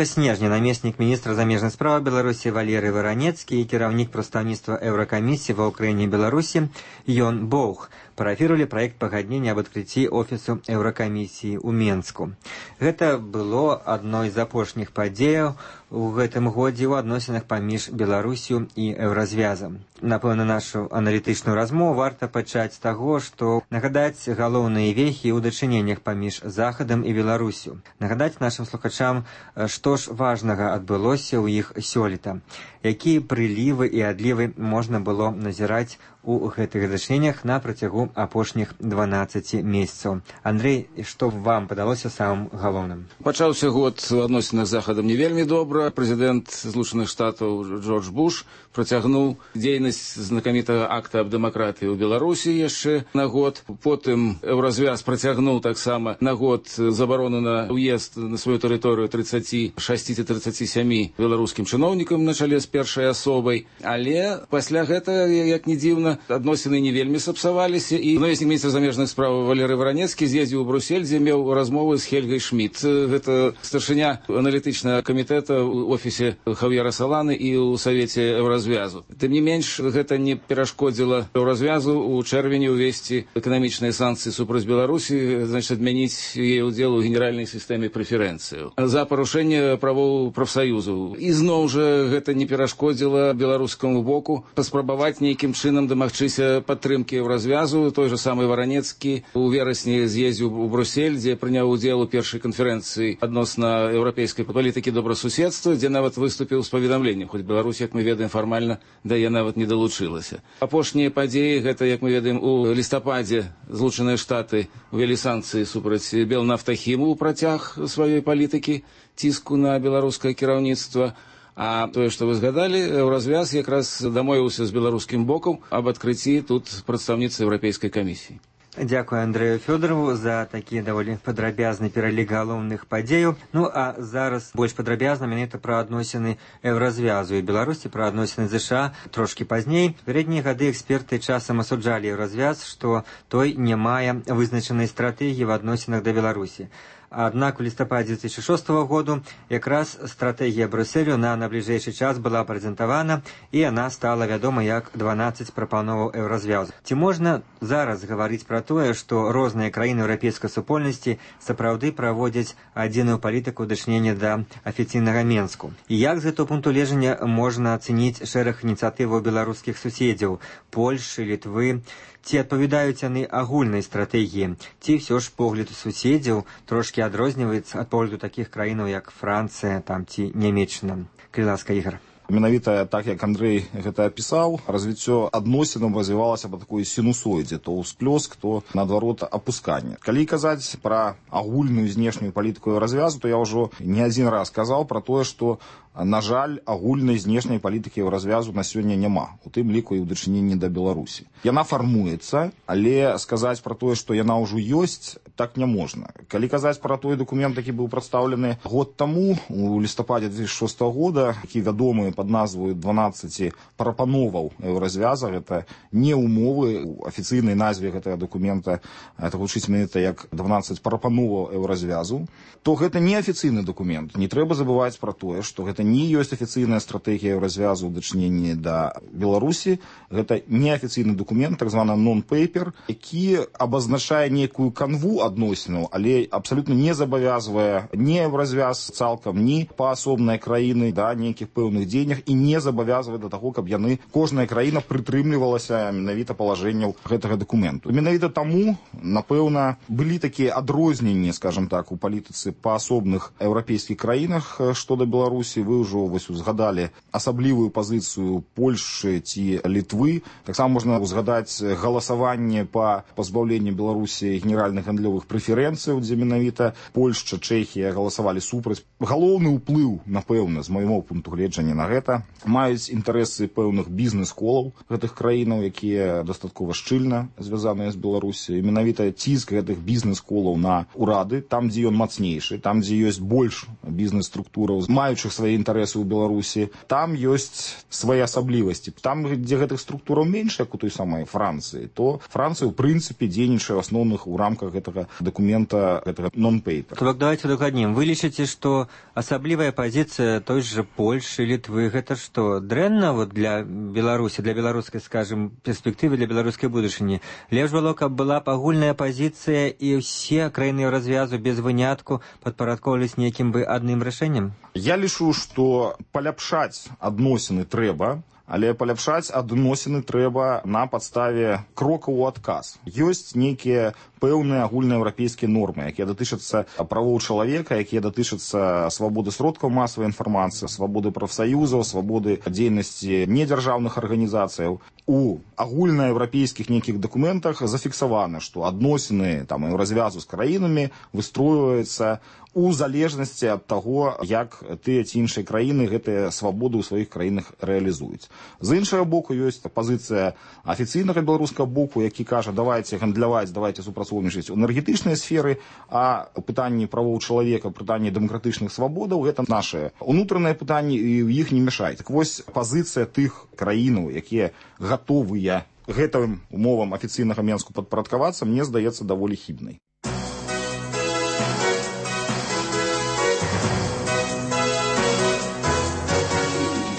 Снежня намеснік міністра замежных справ Беларусі Валерый Варанецкі і кіраўнік прадстаўніцтва Еўракамісіі ва ўкраіне і Беларусі Ён Боух парафіравалі праект пагаднення аб адкрыцці офісу Еўракамісіі ў Менску. Гэта было адной з апошніх падзеяў у гэтым годзе ў адносінах паміж Беларусю і Еўразвязам. Напэўна, нашу аналітычную размову варта пачаць з таго, што нагадаць галоўныя вехі ў дачыненнях паміж Захадам і Беларусю. Нагадаць нашым слухачам, што ж важнага адбылося ў іх сёлета, якія прылівы і адлівы можна было назіраць у гэтых дачыненнях на працягу апошніх 12 месяцаў. Андрэй, што вам падалося самым галоўным? Пачаўся год у адносінах з Захадам не вельмі добра. Прэзідэнт Злучаных Штатаў Джордж Буш працягнуў дзейнасць знакамітага акта аб дэмакратыі ў Беларусі яшчэ на год. Потым Еўразвяз працягнуў таксама на год забарону на ўезд на сваю тэрыторыю 36 ці 37 беларускім чыноўнікам на чале з першай асобай. Але пасля гэтага, як не дзіўна, адносіны не вельмі сапсаваліся, і намеснік міністра замежных справ Валерый Варанецкі з'ездзіў у Брюссель, дзе меў размовы з Хельгай Шмідт. Гэта старшыня аналітычнага камітэта ў офісе Хав'ера Саланы і ў Савеце Еўразвязу. Тым не менш, гэта не перашкодзіла Еўразвязу ў чэрвені ўвесці эканамічныя санкцыі супраць Беларусі, значыць, адмяніць яе ўдзел у генеральнай сістэме прэферэнцыяў за парушэнне правоў прафсаюзаў. І зноў жа гэта не перашкодзіла беларускаму боку паспрабаваць нейкім чынам дамагчыся падтрымкі Еўразвязу. Той же самы Варанецкі у верасні з'ездзіў у Брюссель, дзе прыняў удзел у першай канферэнцыі адносна еўрапейскай палітыкі добрасуседства, дзе нават выступіў з паведамленнем, хоць Беларусь, як мы ведаем, фармальна да яе нават не далучылася. Апошнія падзеі, гэта, як мы ведаем, у лістападзе Злучаныя Штаты увялі санкцыі супраць Белнафтахіму ў працяг сваёй палітыкі ціску на беларускае кіраўніцтва. А тое, што вы згадалі, Еўразвяз якраз дамовіўся з беларускім бокам аб адкрыцці тут прадстаўніцтва Еўрапейскай камісіі. Дзякую Андрэю Фёдарову за такі даволі падрабязны пералік галоўных падзеяў. Ну а зараз больш падрабязна менавіта пра адносіны Еўразвязу і Беларусі, пра адносіны ЗША трошкі пазней. Пераднія гады эксперты часам асуджалі Еўразвяз, што той не мае вызначанай стратэгіі в адносінах да Беларусі. Аднак у лістападзе 2006 году якраз стратэгія Брюсселю на набліжэйшы час была прэзентавана, і яна стала вядома як 12 прапановаў Еўразвязу. Ці можна зараз гаварыць пра тое, што розныя краіны еўрапейскай супольнасці сапраўды праводзяць адзіную палітыку дачынення да афіцыйнага Менску? І як з гэтага пункту гледжання можна ацэніць шэраг ініцыятываў беларускіх суседзяў Польшы, Літвы? Ці адпавядаюць яны агульнай стратэгіі? Ці ўсё ж погляд суседзяў трошкі адрозніваецца ад погляду такіх краінаў, як Францыя там, ці Нямецчына? Калі ласка, Ігар. Менавіта так, як Андрэй гэта апісаў, развіццё адносінаў развівалася па такой сінусоідзе, то ўсплёск, то, наадварот, апусканне. Калі казаць пра агульную знешнюю палітыку Еўразвязу, то я ўжо не адзін раз казаў пра тое, што, на жаль, агульнай знешняй палітыкі Еўразвязу на сёння няма, у тым ліку і ў дачыненні да Беларусі. Яна фармуецца, але сказаць пра тое, што яна ўжо ёсць, так не можна. Калі казаць пра той дакумент, які быў прадстаўлены год таму, у лістападзе 2006 года, які вядомы пад назваю 12 прапановаў Еўразвяза, гэта не умовы, у афіцыйнай назве гэтага дакумента, это гучыць менавіта як 12 прапановаў Еўразвязу, то гэта не афіцыйны дакумент. Не трэба забываць пра тое, што гэта не ёсць афіцыйная стратэгія Еўразвязу ў дачыненні да Беларусі. Гэта неафіцыйны дакумент, так званы non-paper, які абазначае нейкую канву адносінаў, але абсалютна не забавязвае ні Еўразвяз цалкам, ні паасобныя краіны да нейкіх пэўных дзеяннях і не забавязвае да таго, каб яны, кожная краіна прытрымлівалася менавіта палажэнняў гэтага дакументу. Менавіта таму, напэўна, былі такія адрозненні, скажам так, у палітыцы паасобных еўрапейскіх краінах што да Беларусі. Вы вы ўжо узгадалі асаблівую пазіцыю Польшчы ці Літвы. Таксама можна узгадаць галасаванне па пазбаўленні Беларусі генеральных гандлёвых прэферэнцыяў, дзе менавіта Польшча, Чэхія галасавалі супраць. Галоўны ўплыў, напэўна, з майго пункту гледжання на гэта маюць інтарэсы пэўных бізнес-колаў гэтых краінаў, якія дастаткова шчыльна звязаныя з Беларусі. Менавіта ціск гэтых бізнес-колаў на ўрады, там, дзе ён мацнейшы, там, дзе ёсць больш бізнес-структураў, маючых свае інтарэсы ў Беларусі, там ёсць свае асаблівасці. Там, дзе гэтых структураў менш, як у той самай Францыі, то Францыя, ў прынцыпе, дзейнічае ў асноўных у рамках гэтага дакумента, гэтага non-paper. Так давайте удакладнім. Вы лічыце, што асаблівая пазіцыя той же Польшчы, Літвы, гэта што, дрэнна для Беларусі, для беларускай, скажем, перспектывы, для беларускай будучыні? Лепш было, каб была агульная пазіцыя і ўсе краіны развязу без вынятку падпарадкоўвались нейкім бы адным рашэннем? Я лічу, што паляпшаць адносіны трэба, але паляпшаць адносіны трэба на падставе крокаў у адказ. Ёсць нейкія пэўныя агульнаеўрапейскія нормы, якія датычацца правоў чалавека, якія датычацца свабоды сродкаў масавай інфармацыі, свабоды прафсаюзаў, свабоды дзейнасці недзяржаўных арганізацыяў. У агульнаеўрапейскіх нейкіх дакументах зафіксавана, што адносіны развязу з краінамі выстройваюцца у залежнасці ад таго, як тыя ці іншыя краіны гэтыя свабоды ў сваіх краінах рэалізуюць. З іншага боку, ёсць пазіцыя афіцыйнага беларускага боку, які кажа, давайте гандляваць, давайте супрацоўнічаць у энергетычнай сферы, а пытанні правоў чалавека, пытанні дэмакратычных свабодаў, гэта нашае унутранае пытанне, і ў іх не мяшаць. Так вось, пазіцыя тых краінаў, якія гатовыя гэтым умовам афіцыйнага Менску падпарадкавацца, мне здаецца даволі хібнай.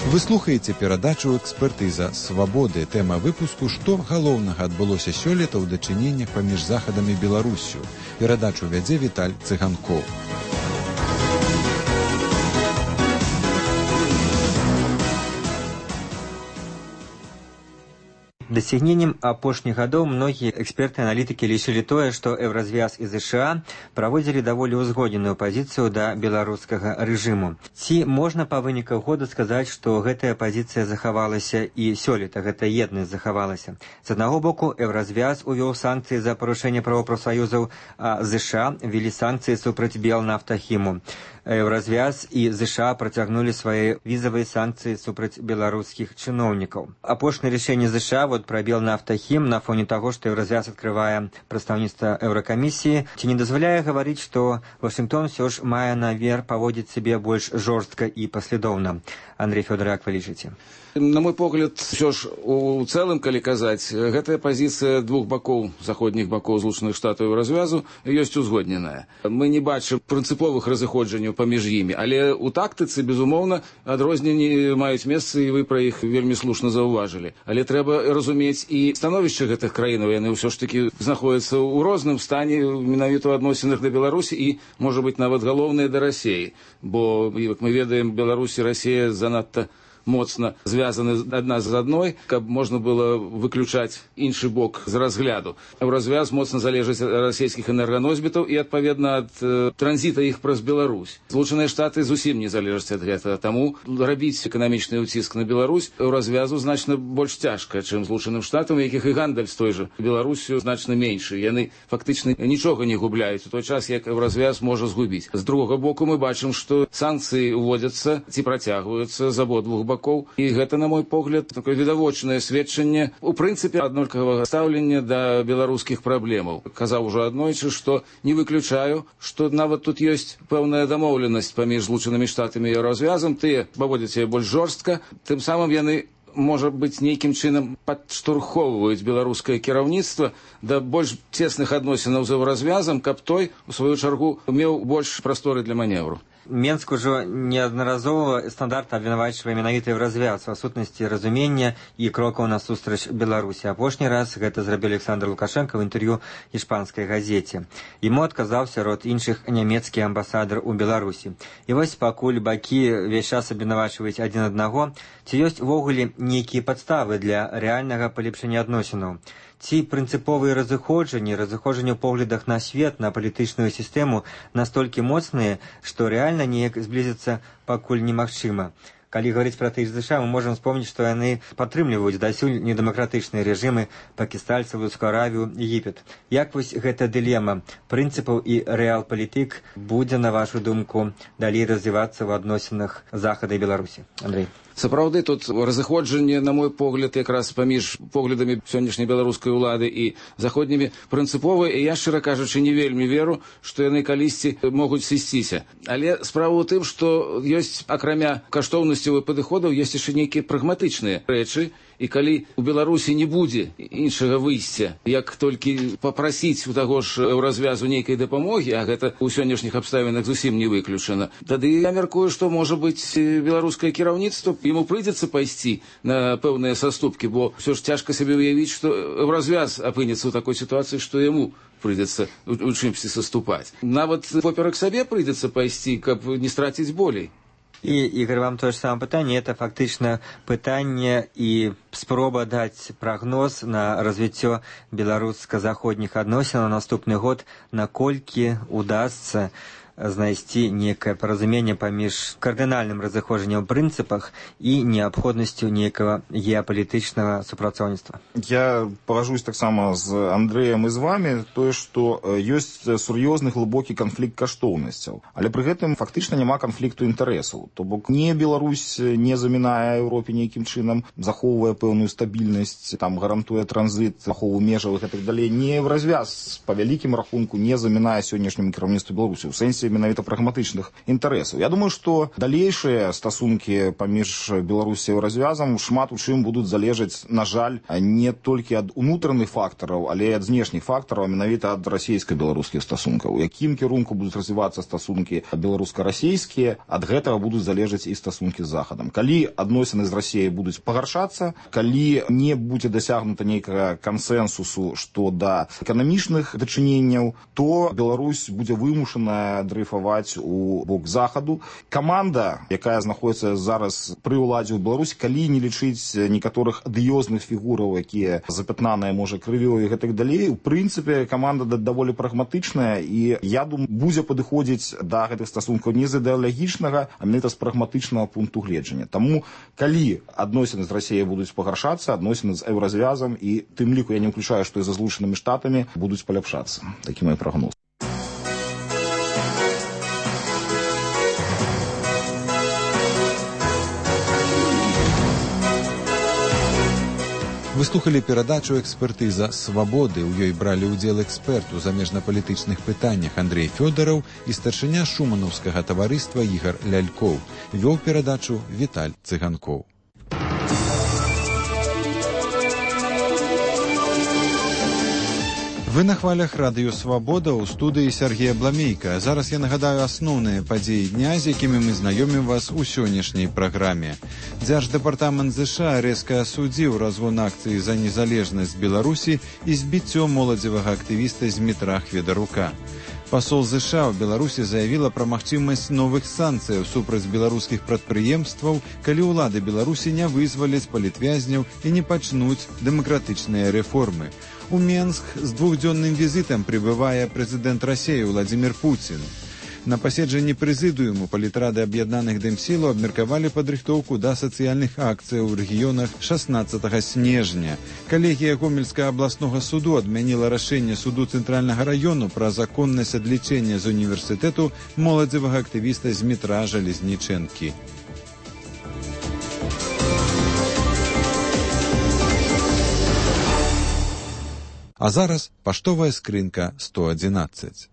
Вы слухаеце перадачу «Экспертыза свабоды». Тэма выпуску «Што галоўнага адбылося сёлета ў дачыненнях паміж Захадам і Беларуссю». Перадачу вядзе Віталь Цыганкоў. Дасягненнем апошніх гадоў многія эксперты і аналітыкі лічылі тое, што Еўразвяз і ЗША праводзілі даволі ўзгодненую пазіцыю да беларускага рэжыму. Ці можна па выніках года сказаць, што гэтая пазіцыя захавалася і сёлета, гэта еднасць захавалася? З аднаго боку, Еўразвяз увёў санкцыі за парушэнне правоў прафсаюзаў, а ЗША ввелі санкцыі супраць Белнафтахіму. Еўразвяз і ЗША працягнулі свае візавыя санкцыі супраць беларускіх чыноўнікаў. Апошняе рашэнне ЗША пра Белнафтахім на фоне таго, што Еўразвяз адкрывае прадстаўніцтва Еўракамісіі, ці не дазваляе гаварыць, што Вашынгтон ўсё ж мае намер паводзіць сябе больш жорстка і паслядоўна? Андрей Фёдорак, вы лічыце? На мой погляд, ўсё ж у цэлым, калі казаць, гэтая пазіцыя двух бакоў, заходніх бакоў Злучаных Штатаў і развязу ёсць узгодненая. Мы не бачым прынцыповых разыходжанняў паміж імі, але у тактыцы, безумоўна, адрозненні маюць месца, і вы пра іх вельмі слушна заўважылі. Але трэба разумець і становішча гэтых краінаў, яны ўсё ж такі знаходзяцца ў розным стане менавіта ў адносінах да Беларусі і, можа быць, нават галоўныя да Расіі. Бо, як мы ведаем, Беларусь і Расія занадта моцна звязаны адна з адной, каб можна было выключаць іншы бок з разгляду. Еўразвяз моцна залежыць ад расійскіх энерганосьбітаў і, адпаведна, ад транзіта іх праз Беларусь. Злучаныя Штаты зусім не залежаць ад гэтага. Таму рабіць эканамічны ўціск на Беларусь Еўразвязу значна больш цяжка, чым Злучаным Штатам, якіх і гандаль з той жа Беларуссю значна меншы. Яны фактычна нічога не губляюць у той час, як Еўразвяз можа згубіць. З другога боку, мы бачым, што санкцыі ўводзяцца ці працягваюцца з абодвух бакоў. І гэта, на мой погляд, такое відавочнае сведчанне, у прынцыпе, аднолькавага стаўлення да беларускіх праблемаў. Казаў ужо аднойчы, што не выключаю, што нават тут ёсць пэўная дамоўленасць паміж Злучанымі Штатамі і Еўразвязам. Тыя паводзяць сябе больш жорстка, тым самым яны, можа быць, нейкім чынам падштурхоўваюць беларускае кіраўніцтва да больш цесных адносінаў з Еўразвязам, каб той, у сваю чаргу, меў больш прасторы для маневру. Менск ужо неаднаразова стандартна абвінавачвае менавіта Еўразвяз у адсутнасці разумення і крокаў насустрач Беларусі. Апошні раз гэта зрабіў Александр Лукашенко ў інтэрв'ю іспанскай газеце. Яму адказаў сярод іншых нямецкі амбасадар у Беларусі. І вось пакуль бакі ўвесь час абвінавачваюць адзін аднаго, ці ёсць увогуле нейкія падставы для рэальнага палепшання адносінаў? Ці прынцыповыя разыходжанні ў поглядах на свет, на палітычную сістэму настолькі моцныя, што рэальна рэальна неяк зблізіцца пакуль немагчыма. Калі говорить про тых ЗША, мы можем вспомнить, что яны падтрымліваюць дасюль недэмакратычныя рэжымы пакістальцаў, Саудаўскую Аравію, Егіпет. Як вось гэта дылема прынцыпаў і рэал-палітык будзе, на вашу думку, далей развівацца ў адносінах Захада і Беларусі? Андрей. Сапраўды, тут разыходжанне, на мой погляд, якраз паміж поглядамі сённяшняй беларускай улады і заходнімі прынцыповыя, і я, шчыра кажучы, не вельмі веру, што яны калісьці могуць сысціся. Але справа ў тым, што ёсць, акрамя каштоўнасцяў і падыходаў, ёсць яшчэ нейкія прагматычныя рэчы, і калі у Беларусі не будзе іншага выйсця, як толькі папрасіць у таго ж развязу нейкай дапамогі, а гэта ў сённяшніх абставінах зусім не выключана, тады я мяркую, што, можа быць, беларускае кіраўніцтва, ему прыйдзецца пайсці на пэўныя саступкі, бо ўсё ж цяжка сабе ўявіць, што развяз апынецца ў такой сітуацыі, што яму прыйдзецца у чымсьці саступаць. Нават поперак сабе прыйдзецца пайсці, каб не страціць болей. И, Игорь, вам то же самое питание. Это фактично питание и спроба дать прогноз на развитие белорусско-заходних отношений на наступный год, наколькі удастся знайсці некае паразуменне паміж кардынальным разыходжаннем прынцыпах і неабходнасцю некага геапалітычнага супрацоўніцтва. Я пагажусь таксама з Андрэем і з вами, тое, што ёсць сур'ёзны глыбокі канфлікт каштоўнасцяў, але пры гэтым фактычна няма канфлікту інтарэсаў. То бок не Беларусь не замінае Еўропе нейкім чынам, захоўвае пэўную стабільнасць, там гарантуе транзіт, ахову межаў і гэтак далей. Не в развяз па вялікім рахунку не замінае сённяшняму кіраўніцтву Беларусі ў сэнсе менавіта прагматычных інтарэсаў. Я думаю, што далейшыя стасункі паміж Беларусі і развязам шмат у чым будуць залежаць, на жаль, не толькі ад унутраных фактараў, але і ад знешніх фактараў, менавіта ад расійска-беларускіх стасункаў. У якім кірунку будуць развівацца стасункі беларуска-расійскія, ад гэтага будуць залежаць і стасункі з Захадам. Калі адносіны з Расіяй будуць пагаршацца, калі не будзе дасягнута нейкага кансэнсусу што да эканамічных дачыненняў, то Беларусь будзе вымушаная дрейфаваць у бок Захаду. Каманда, якая знаходіцца зараз пры ўладзе ў Беларусі, калі не лічыць некаторых адыёзных фігураў, якія запятнаныя, можа, крывёй і гэтак далей, у прынцыпе, каманда даволі прагматычная і, я думаю, будзе падыходзіць да гэтых стасункаў не з ідэалагічнага, а менавіта з прагматычнага пункту гледжання. Таму, калі адносіны з Расіяй будуць пагаршацца, адносіны з еўразвязам і тым ліку я не ўключаю, што і за Злучанымі Штатамі будуць паляпшацца. Такі мой прагноз. Вы слухали перадачу «Экспертыза свабоды». У ёй бралі ўдзел эксперт у замежнапалітычных пытаннях Андрей Фёдораў і старшыня шуманаўскага таварыства Ігар Лялькоў. Вёў перадачу Віталь Цыганкоў. Вы на хвалях радыё «Свабода», ў студыі Сергея Бламейка. Зараз я нагадаю асноўныя падзеі дня, з якімі мы знаёмім вас у сённяшняй праграме. Дзярждэпартамент ЗША рэзка асудзіў разгон акцыі за незалежнасць Беларусі і збіццё моладзевага актывіста Змітра Хведарука. Пасол ЗША ў Беларусі заявіла пра магчымасць новых санкцыяў супраць беларускіх прадпрыемстваў, калі ўлады Беларусі не вызваляць палітвязняў і не пачнуць дэмакратычныя рэформы. У Менск з двухдзённым візітам прыбывае прэзідэнт Расіі Владзімір Пуцін. На паседжанні прэзідыуму палітрады аб'яднаных дэмсілаў абмеркавалі падрыхтоўку да сацыяльных акцыяў у рэгіёнах 16 снежня. Калегія Гомельскага абласнога суду адмяніла рашэнне суду цэнтральнага раёну пра законнасць адлічэння з універсітэту моладзевага актывіста Змітра Жалезнічэнкі. А зараз паштовая скрынка 111.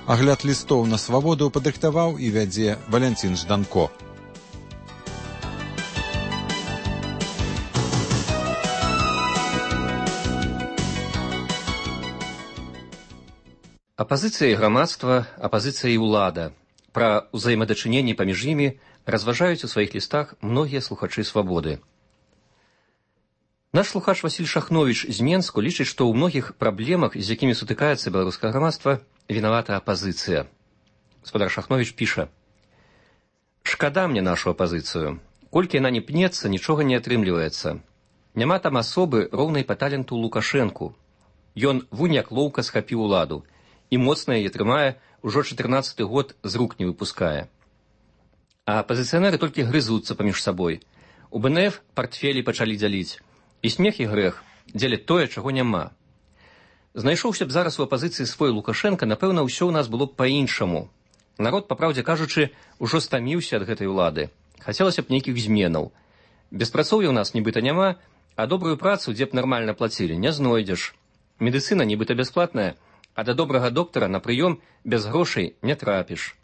Агляд лістоў на свабоду падрыхтаваў і вядзе Валянцін Жданко. Апазіцыя і грамадства, апазіцыя і ўлада. Пра ўзаемадачыненні паміж імі разважаюць у сваіх лістах многія слухачы свабоды. Наш слухач Васіль Шахновіч з Менску лічыць, што ў многіх праблемах, з якімі сутыкаецца беларускае грамадства, вінавата апазіцыя. Гаспадар Шахновіч піша: «Шкада мне нашу апазіцыю. Колькі яна не пнецца, нічога не атрымліваецца. Няма там асобы, роўнай па таленту Лукашэнку. Ён вунь як лоўка схапіў уладу, і моцна яе трымае, ужо 14-й год з рук не выпускае. А апазіцыянеры толькі грызуцца паміж сабой. У БНФ партфелі пачалі дзяліць. І смех і грэх дзеляць тое, чаго няма. Знайшоўся б зараз у апазіцыі свой Лукашенка, напэўна, ўсё ў нас было б па-іншаму. Народ, па праўдзе кажучы, ужо стаміўся ад гэтай улады. Хацелася б нейкіх зменаў. Беспрацоўя ў нас нібыта няма, а добрую працу, дзе б нармальна плацілі, не знойдзеш. Медыцына нібыта бясплатная, а да добрага доктара на прыём без грошай не трапіш.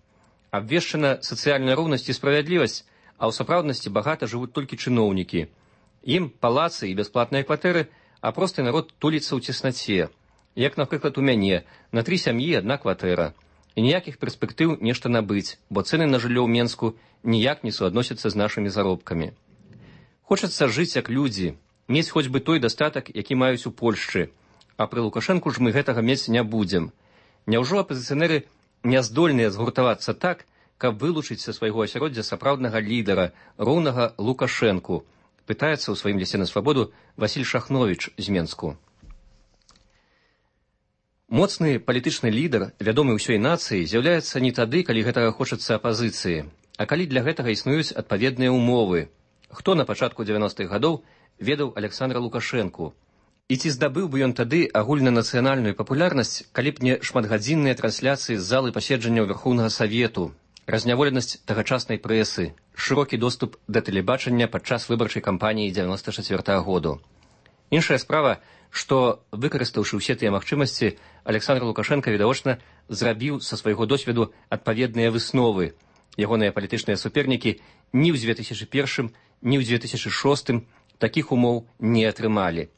Абвешчана сацыяльная роўнасць і справядлівасць, а ў сапраўднасці багата жывуць толькі чыноўнікі. Ім палацы і бясплатныя кватэры, а просты народ туліцца ў цеснаце. Як, напрыклад, у мяне, на 3 сям'і 1 кватэра. І ніякіх перспектыў нешта набыць, бо цэны на жыллё ў Менску ніяк не суадносяцца з нашымі заробкамі. Хочацца жыць як людзі, мець хоць бы той дастатак, які маюць у Польшчы. А пры Лукашэнку ж мы гэтага мець не будзем. Няўжо апазіцыянеры не здольныя згуртавацца так, каб вылучыць са свайго асяроддзя сапраўднага лідара, роўнага Лукашэнку? Пытаецца ў сваім лісце на свабоду Васіль Шахновіч з Менску. Моцны палітычны лідар, вядомы ўсёй нацыі, з'яўляецца не тады, калі гэтага хочацца апазіцыі, а калі для гэтага існуюць адпаведныя ўмовы. Хто на пачатку 90-х гадоў ведаў Александра Лукашэнку? І ці здабыў бы ён тады агульнанацыянальную папулярнасць, калі б не шматгадзінныя трансляцыі з залы паседжанняў Верхоўнага Савету, разняволенасць тагачаснай прэсы, шырокі доступ да тэлебачання падчас выбарчай кампаніі 94-го году. Іншая справа, што, выкарыстаўшы ўсе тыя магчымасці, Александр Лукашенко, відавочна, зрабіў са свайго досведу адпаведныя высновы. Ягоныя палітычныя супернікі ні ў 2001, ні ў 2006 такіх умоў не атрымалі.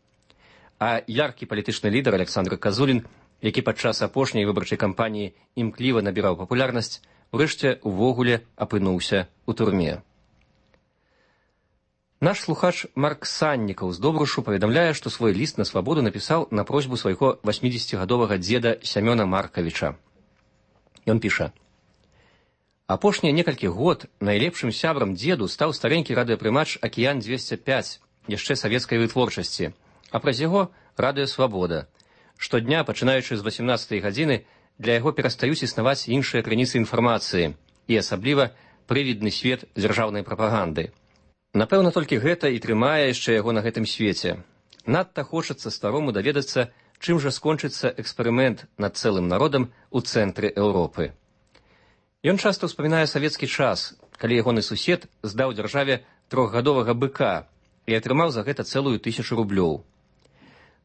А яркі палітычны лідар Александр Казулін, які падчас апошняй выбарчай кампаніі імкліва набіраў папулярнасць, урэшце увогуле апынуўся ў турме. Наш слухач Марк Саннікаў з Добрушу паведамляе, што свой ліст на свабоду напісаў на просьбу свайго 80-гадовага дзеда Сямёна Маркавіча. Ён піша: «Апошнія некалькі год найлепшым сябрам дзеду стаў старенькі радыёпрымач «Акіян-205», яшчэ савецкай вытворчасці, а праз яго радыё «Свабода». Штодня, пачынаючы з 18-й гадзіны, для яго перастаюць існаваць іншыя крыніцы інфармацыі і асабліва прывідны свет дзяржаўнай прапаганды. Напэўна, толькі гэта і трымае яшчэ яго на гэтым свеце. Надта хочацца старому даведацца, чым жа скончыцца эксперымент над цэлым народам у цэнтры Еўропы. Ён часта ўспамінае савецкі час, калі ягоны сусед здаў дзяржаве 3-гадовага быка і атрымаў за гэта цэлую 1000 рублёў.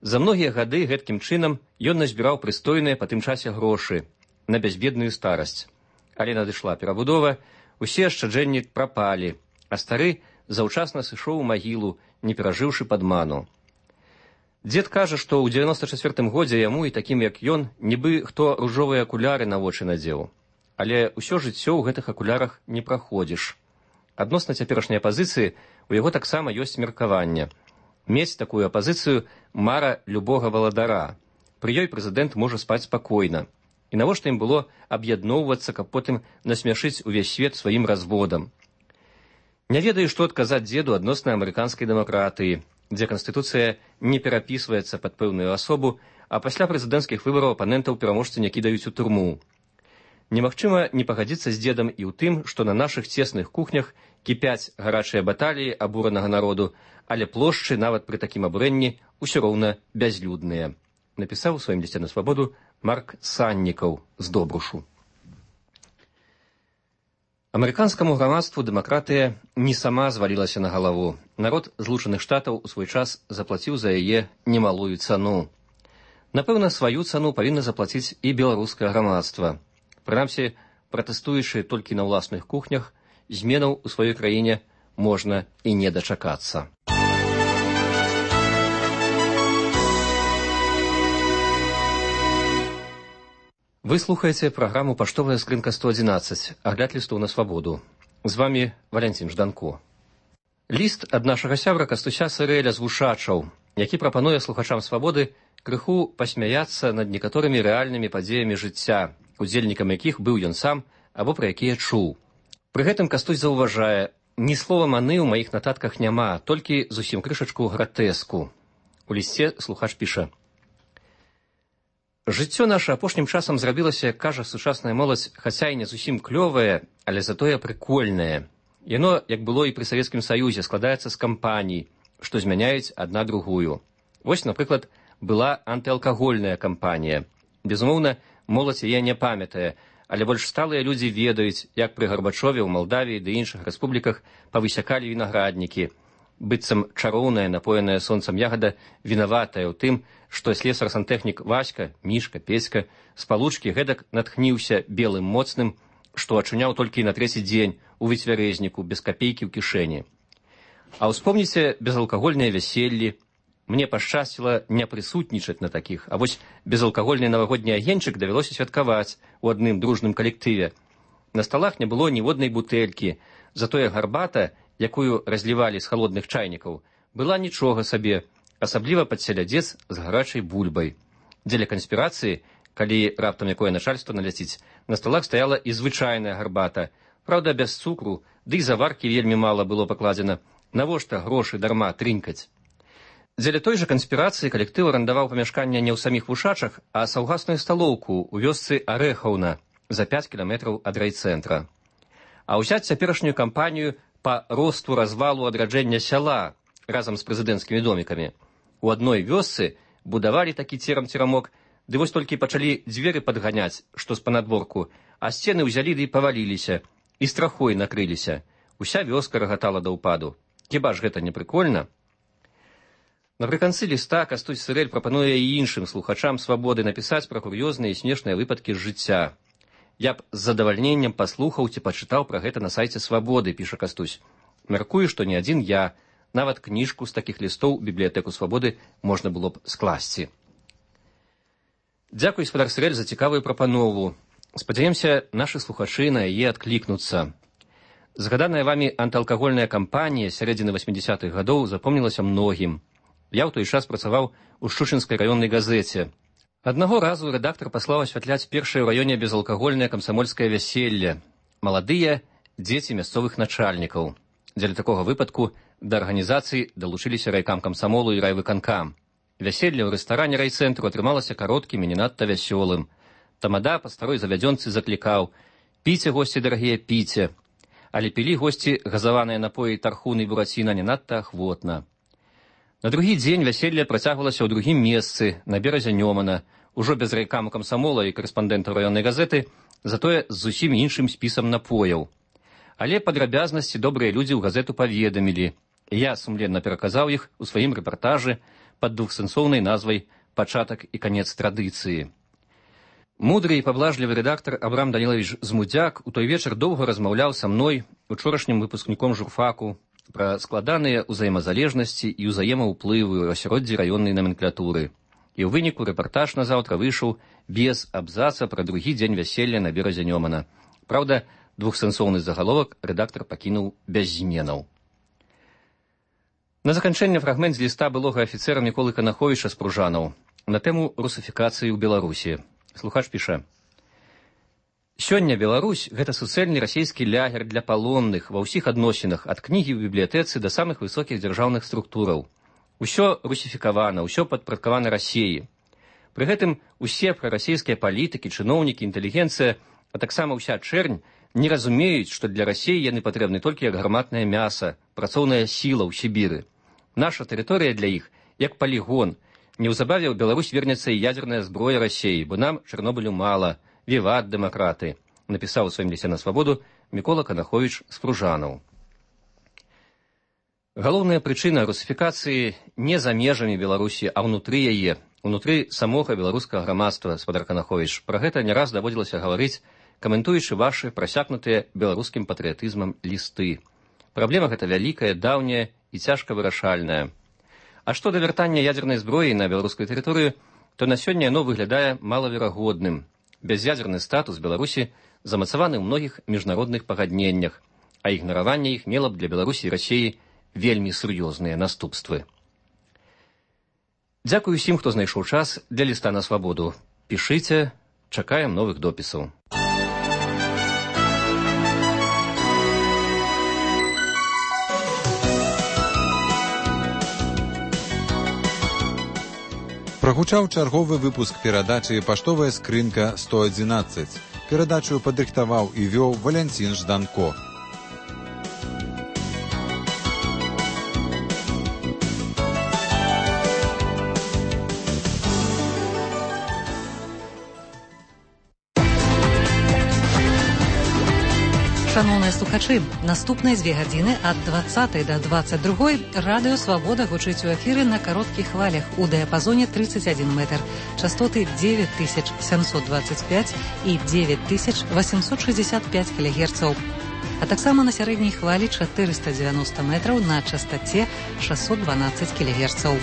За многія гады гэткім чынам ён назбіраў прыстойныя па тым часе грошы на бязбедную старасць. Але надышла перабудова, усе ашчаджэнні прапалі, а стары заўчасна сышоў у магілу, не перажыўшы падману. Дзед кажа, што ў 94-м годзе яму і такім, як ён, нібы хто ружовыя акуляры на вочы надзеў. Але ўсё жыццё ў гэтых акулярах не праходзіш. Адносна цяперашняй апазіцыі у яго таксама ёсць меркаванне. Мець такую апазіцыю мара любога валадара. Пры ёй прэзідэнт можа спаць спакойна. І навошта ім было аб'ядноўвацца, каб потым насмяшыць увесь свет сваім разводам? Не ведаю, што адказаць дзеду адносна амерыканскай дэмакратыі, дзе канстытуцыя не перапісваецца пад пэўную асобу, а пасля прэзідэнцкіх выбараў апанентаў пераможцы не кідаюць у турму. Немагчыма не пагадзіцца з дзедам і ў тым, што на нашых цесных кухнях кіпяць гарачыя баталіі абуранага народу, але плошчы нават пры такім абурэнні ўсё роўна бязлюдныя. Напісаў у сваім лісце на свабоду Марк Саннікаў з Добрушу. Амерыканскаму грамадству дэмакратыя не сама звалілася на галаву. Народ Злучаных Штатаў у свой час заплаціў за яе немалую цану. Напэўна, сваю цану павінна заплаціць і беларускае грамадства. Прынамсі, пратэстуючы толькі на ўласных кухнях, зменаў у сваёй краіне можна і не дачакацца. Вы слухаеце праграму «Паштовая скрынка 111», агляд лістоў на свабоду. З вамі Валянцін Жданко. Ліст ад нашага сябра Кастуся Сырэля з Вушачаў, які прапануе слухачам свабоды крыху пасмяяцца над некаторымі рэальнымі падзеямі жыцця, удзельнікам якіх быў ён сам або пра якія чуў. Пры гэтым Кастусь заўважае, Ні слова маны ў маіх нататках няма, толькі зусім крышачку гратэску. У лісце слухач піша: «Жыццё наша апошнім часам зрабілася, кажа сучасная моладзь, хаця і не зусім клёвае, але затое прыкольнае. Яно, як было і пры Савецкім Саюзе, складаецца з кампаній, што змяняюць адна другую. Вось, напрыклад, была антыалкагольная кампанія. Безумоўна, моладзь яе не памятае, але больш сталыя людзі ведаюць, як пры Гарбачове ў Малдавіі ды іншых рэспубліках павысякалі вінаграднікі. Быццам чароўная, напоеная сонцам ягада вінаватая ў тым, што слесар-сантэхнік Васька, Мішка, Песька з палучкі гэтак натхніўся белым моцным, што ачуняў толькі на трэці дзень у выцвярэзніку, без капейкі ў кішэні. А ўспомніце безалкагольныя вяселлі. Мне пашчасціла не прысутнічаць на такіх, а вось безалкагольны навагодні агеньчык давялося святкаваць у адным дружным калектыве. На сталах не было ніводнай бутэлькі, затое гарбата, якую разлівалі з халодных чайнікаў, была нічога сабе, асабліва пад селядзец з гарачай бульбай. Дзеля канспірацыі, калі раптам якое начальство наляціць, на сталах стаяла і звычайная гарбата, праўда, без цукру, ды і заваркі вельмі мала было пакладзена. Навошта грошы дарма трынкаць? Дзеля той жа канспірацыі калектыў арандаваў памяшканне не ў саміх вушачах, а саўгасную сталоўку ў вёсцы Арэхаўна за 5 кіламетраў ад райцэнтра. А ўзяць цяперашнюю кампанію па росту развалу адраджэння сяла разам з прэзідэнцкімі домікамі. У адной вёсцы будавалі такі церам-церамок, ды вось толькі пачалі дзверы падганяць, што з панадворку, а сцены ўзялі ды паваліліся, і страхой накрыліся. Уся вёска рагатала да ўпаду. Хіба ж гэта не прыкольна? Напрыканцы ліста Кастусь Сырэль прапануе і іншым слухачам свабоды напісаць пра кур'ёзныя і смешныя выпадкі з жыцця. Я б з задавальненнем паслухаў ці пачытаў пра гэта на сайце Свабоды, піша Кастусь. Мяркую, што не адзін я, нават кніжку з такіх лістоў у бібліятэку Свабоды можна было б скласці. Дзякуй, гаспадар Сырэль, за цікавую прапанову. Спадзяемся, нашы слухачы на яе адклікнуцца. Згаданая вамі антыалкагольная кампанія сярэдзіны 80-х гадоў запомнілася многім. Я ў той час працаваў у Шчучынскай раённай газеце. Аднаго разу рэдактар паслаў асвятляць першае ў раёне безалкагольнае камсамольскае вяселле. Маладыя дзеці мясцовых начальнікаў. Дзеля такога выпадку да арганізацыі далучыліся райкам камсамолу і райвыканкам. Вяселле ў рэстаране райцэнтру атрымалася кароткім і не надта вясёлым. Тамада па старой завядзёнцы заклікаў: «Піце, госці дарагія, піце». Але пілі госці газаваныя напоі тархуны і бураціна не надта ахвотна. На другі дзень вяселле працягвалася ў другім месцы, на беразе Нёмана, ужо без райкаму камсамола і карэспандэнтаў раённай газеты, затое з зусім іншым спісам напояў. Але падрабязнасці добрыя людзі ў газету паведамілі. Я сумленна пераказаў іх у сваім рэпартажы пад двухсэнсоўнай назвай «Пачатак і канец традыцыі». Мудры і паблажлівы рэдактар Абрам Данілавіч Змудзяк у той вечар доўга размаўляў са мной, учорашнім выпускніком журфаку, пра складаныя ўзаемазалежнасці і ўзаемаўплывы ў асяроддзі раённай наменклатуры. І ў выніку рэпартаж назаўтра выйшаў без абзаца пра другі дзень вяселля на беразе Нёмана. Праўда, двухсэнсоўны загаловак рэдактар пакінуў без зменаў. На заканчэнне фрагмент з ліста былога афіцэра Міколы Канаховіча з Пружанаў на тэму русафікацыі ў Беларусі. Слухач піша: «Сёння Беларусь – гэта суцэльны расійскі лягер для палонных ва ўсіх адносінах ад кнігі ў бібліятэцы да самых высокіх дзяржаўных структураў. Усё русіфікавана, усё падпарадкавана Расіі. Пры гэтым усе прарасійскія палітыкі, чыноўнікі, інтэлігенцыя, а таксама ўся чэрнь не разумеюць, што для Расіі яны патрэбны толькі як гарматнае мяса, працоўная сіла ў Сібіры. Наша тэрыторыя для іх як палігон. Неўзабаве ў Беларусь вернецца і ядзерная зброя Расіі, бо нам Чарнобылю мала. Віват дэмакраты», напісаў у сваім лісце на Свабоду Мікола Канаховіч з Пружанаў. Галоўная прычына русіфікацыі не за межамі Беларусі, а ўнутры яе, унутры самога беларускага грамадства, гаспадар Канаховіч. Пра гэта не раз даводзілася гаварыць, каментуючы вашы прасякнутыя беларускім патрыятызмам лісты. Праблема гэта вялікая, даўняя і цяжка вырашальная. А што да вяртання ядзернай зброі на беларускую тэрыторыю, то на сёння яно выглядае малаверагодным. Бяз'ядзерны статус Беларусі замацаваны ў многіх міжнародных пагадненнях, а ігнараванне іх мела б для Беларусі і Расіі вельмі сур'ёзныя наступствы. Дзякую усім, хто знайшоў час для ліста на Свабоду. Пішыце, чакаем новых допісаў. Прагучаў чарговы выпуск перадачы «Паштовая скрынка 111». Перадачу падрыхтаваў і вёў Валянцін Жданко. Шановныя слухачы, наступныя 2 гадзіны ад 20 до 22 радыё «Свабода» гучыць у эфіры на кароткіх хвалях у дыяпазоне 31 метр, частоты 9725 і 9865 кГц, а таксама на сярэдняй хвалі 490 метраў на частоце 612 кГц.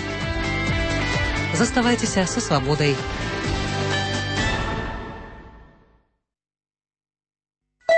Заставайцеся са «Свабодай».